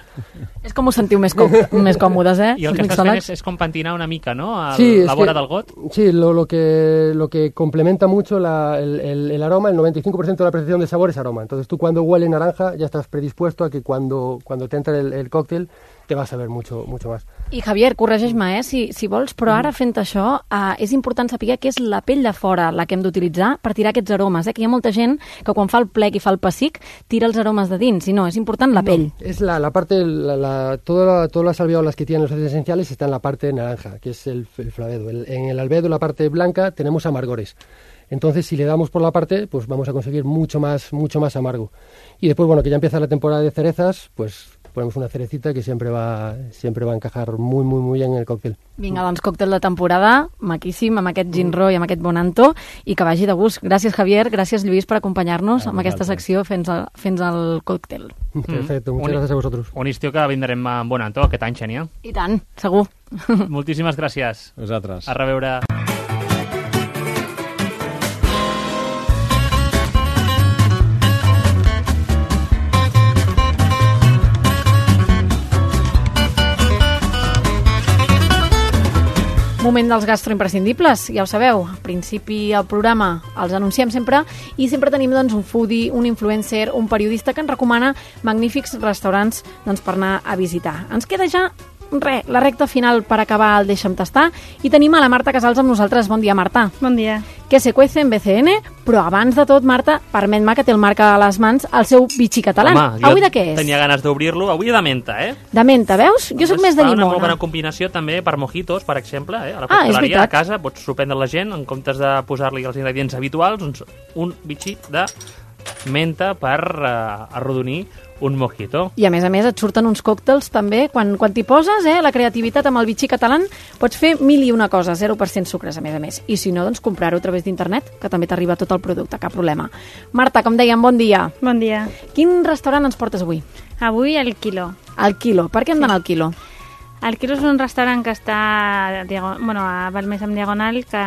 És com us sentiu més, com, més còmodes, eh? I el que estàs fent és, és com pentinar una mica, no? El, sí, la vora que, del got. Sí, lo, lo, que, lo que complementa mucho la, el, el, el aroma, el noventa y cinco por ciento de la percepción de sabor es aroma. Entonces tú cuando hueles naranja ya estás predispuesto a que cuando, cuando te entra el, el cóctel te vas a ver mucho, mucho más. I Javier, corregeix-me, eh, si, si vols, però ara fent això eh, és important saber que és la pell de fora la que hem d'utilitzar per tirar aquests aromes, eh? Que hi ha molta gent que quan fa el plec i fa el pessic tira els aromes de dins, i no, és important la pell. No, es la, la parte, la, la, toda la, todas las alvéolas que tienen los aceites esenciales está en la parte naranja, que es el, el flavoedo. El, en el albedo, la parte blanca, tenemos amargores. Entonces, si le damos por la parte, pues vamos a conseguir mucho más, mucho más amargo. Y después, bueno, que ya empieza la temporada de cerezas, pues ponemos una cerecita que siempre va, siempre va a encajar muy, muy, muy bien en el cóctel. Vinga, doncs còctel de temporada, maquíssim, amb aquest gin ro i amb aquest bonanto, i que vagi de gust. Gràcies, Javier, gràcies, Lluís, per acompanyar-nos amb aquesta secció fins al, fins al còctel. Perfecto, muchas gracias a vosotros. Un estiu que vindrem amb bonanto aquest any, Xènia. I tant, segur. Moltíssimes gràcies. Vosaltres. A reveure. Moment dels gastroimprescindibles, ja ho sabeu, al principi al programa els anunciem sempre i sempre tenim doncs, un foodie, un influencer, un periodista que ens recomana magnífics restaurants doncs, per anar a visitar. Ens queda ja re, la recta final per acabar el Deixa'm tastar i tenim a la Marta Casals amb nosaltres. Bon dia, Marta. Bon dia. Que se cuece en B C N, però abans de tot, Marta, permet-me que té el Marc a les mans el seu bitxí català. Home, avui de què és? Tenia ganes d'obrir-lo. Avui de menta, eh? De menta, veus? Jo sóc més de llimona. Una llimona. molt bona combinació també per mojitos, per exemple. Eh? A la Ah, és cocteleria, veritat. a casa, pots sorprendre la gent, en comptes de posar-li els ingredients habituals, doncs un bitxí de menta per uh, arrodonir un mojito. I a més a més et surten uns còctels també, quan, quan t'hi poses, eh, la creativitat amb el bitxí català, pots fer mil i una coses, zero per cent sucres a més a més. I si no, doncs comprar-ho a través d'internet, que també t'arriba tot el producte, cap problema. Marta, com dèiem, bon dia. Bon dia. Quin restaurant ens portes avui? Avui el Quilo. El Quilo. Per què hem d'anar al Quilo? El Quilo és un restaurant que està diago- bueno, a Balmes amb Diagonal, que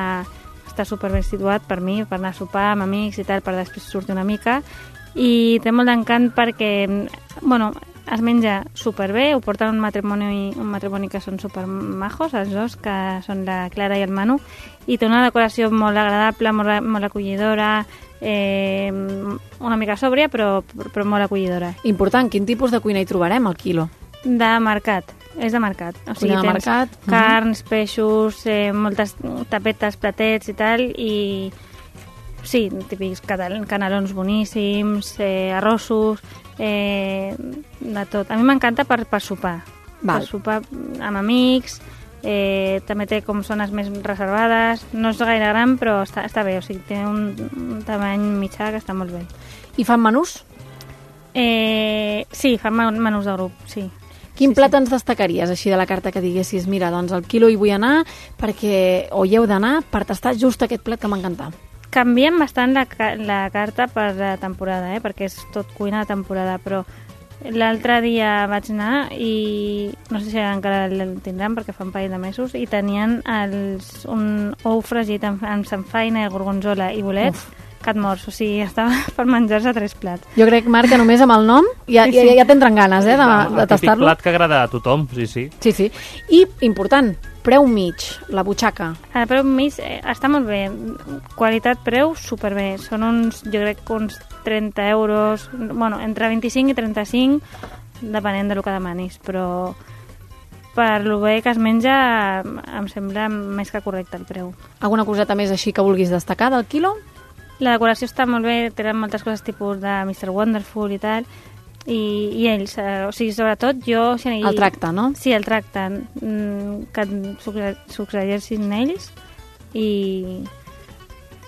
està superben situat per mi, per anar a sopar amb amics i tal, per després sortir una mica. I té molt d'encant perquè bueno, es menja superbé, ho porten un matrimoni, un matrimoni que són supermajos, els dos, que són la Clara i el Manu, i té una decoració molt agradable, molt, molt acollidora, eh, una mica sòbria, però, però molt acollidora. Important, quin tipus de cuina hi trobarem al Quilo? De mercat, és de mercat. O sigui, Cuina de tens mercat. carns, peixos, eh, moltes tapetes, platets i tal, i sí, típics catal- canelons boníssims, eh, arrossos, eh, de tot. A mi m'encanta per, per sopar. Val. Per sopar amb amics, eh, també té com zones més reservades, no és gaire gran però està, està bé, o sigui, té un, un tamany mitjà que està molt bé. I fan menús? Eh, sí, fan men- menús de grup, sí. Quin Sí, plat sí. ens destacaries així de la carta que diguessis, mira, doncs al Quilo hi vull anar perquè, o hi heu d'anar per tastar just aquest plat que m'encanta? Canviem bastant la, ca- la carta per la temporada, eh? Perquè és tot cuina de temporada, però l'altre dia vaig anar i no sé si encara el tindran perquè fa un parell de mesos i tenien els, un ou fregit amb, amb samfaina, gorgonzola i bolets, Uf. que et mors, o sigui, estava per menjar-se tres plats. Jo crec, Marc, que només amb el nom ja, Sí, ja, sí. ja tindran ganes eh, de, El de típic tastar-lo. plat que agrada a tothom, sí, sí. Sí, sí. I, important, preu mig, la butxaca. El preu mig eh, està molt bé, qualitat-preu superbé, són uns, jo crec que uns trenta euros, bueno, entre vint-i-cinc i trenta-cinc, depenent del que demanis, però per lo bé que es menja em sembla més que correcte el preu. Alguna coseta més així que vulguis destacar del Quilo? La decoració està molt bé, tenen moltes coses tipus de mister Wonderful i tal, i, i ells, eh, o sigui, sobretot jo... Si El tracte, no? Sí, el tracte, mm, que et succeeixin ells i...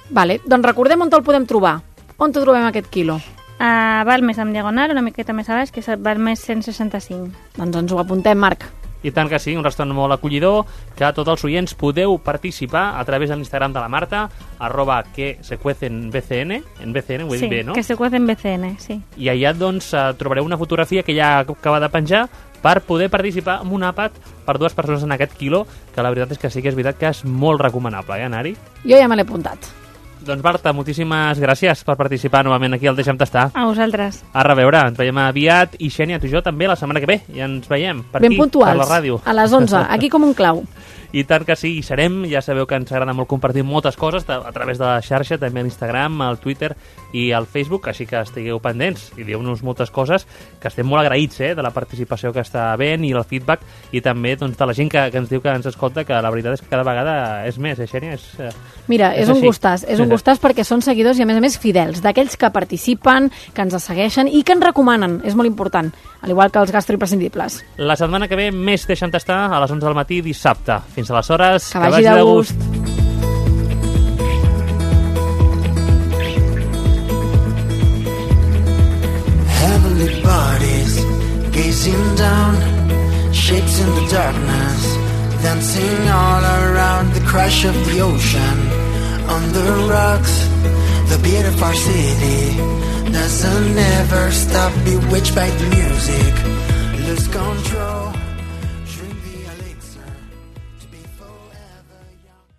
Vale, doncs recordem on te'l podem trobar. On te trobem aquest Quilo? A Balmes amb Diagonal, una miqueta més a baix, que és el Balmes cent seixanta-cinc. Doncs ens ho apuntem, Marc. I tant que sí, un restaurant molt acollidor, que tots els oients podeu participar a través de l'Instagram de la Marta, arroba que se cuecen B C N, en B C N, ho he Sí, dit bé, no? que se cuecen B C N, sí. I allà doncs eh, trobareu una fotografia que ja acaba de penjar per poder participar en un àpat per dues persones en aquest Quilo, que la veritat és que sí que és veritat que és molt recomanable, eh, anar-hi? Jo ja me l'he apuntat. Doncs Marta, moltíssimes gràcies per participar novament aquí al Deixa'm Tastar. A vosaltres. A reveure, ens veiem aviat i Xènia, tu i jo també la setmana que ve, i ens veiem per Ben aquí, puntuals, per la ràdio. a les onze, aquí com un clau. I tant que sí, hi serem. Ja sabeu que ens agrada molt compartir moltes coses a través de la xarxa, també a l'Instagram, al Twitter i al Facebook, així que estigueu pendents i dieu-nos moltes coses, que estem molt agraïts eh, de la participació que està havent i el feedback, i també doncs, de la gent que, que ens diu que ens escolta, que la veritat és que cada vegada és més, eh, Xènia? És, eh, Mira, és, és un així. gustàs, és un gustàs perquè són seguidors i a més a més fidels, d'aquells que participen, que ens segueixen i que ens recomanen, és molt important, al igual que els gastroimprescindibles. La setmana que ve més Deixa'm Tastar a les onze del matí dissabte. Fins aleshores, que, que vagi de gust. Heavenly bodies gazing down, shapes in the darkness, dancing all around the crash of the ocean. On the rocks, the beat of our city doesn't ever stop, bewitched by the music, lose control.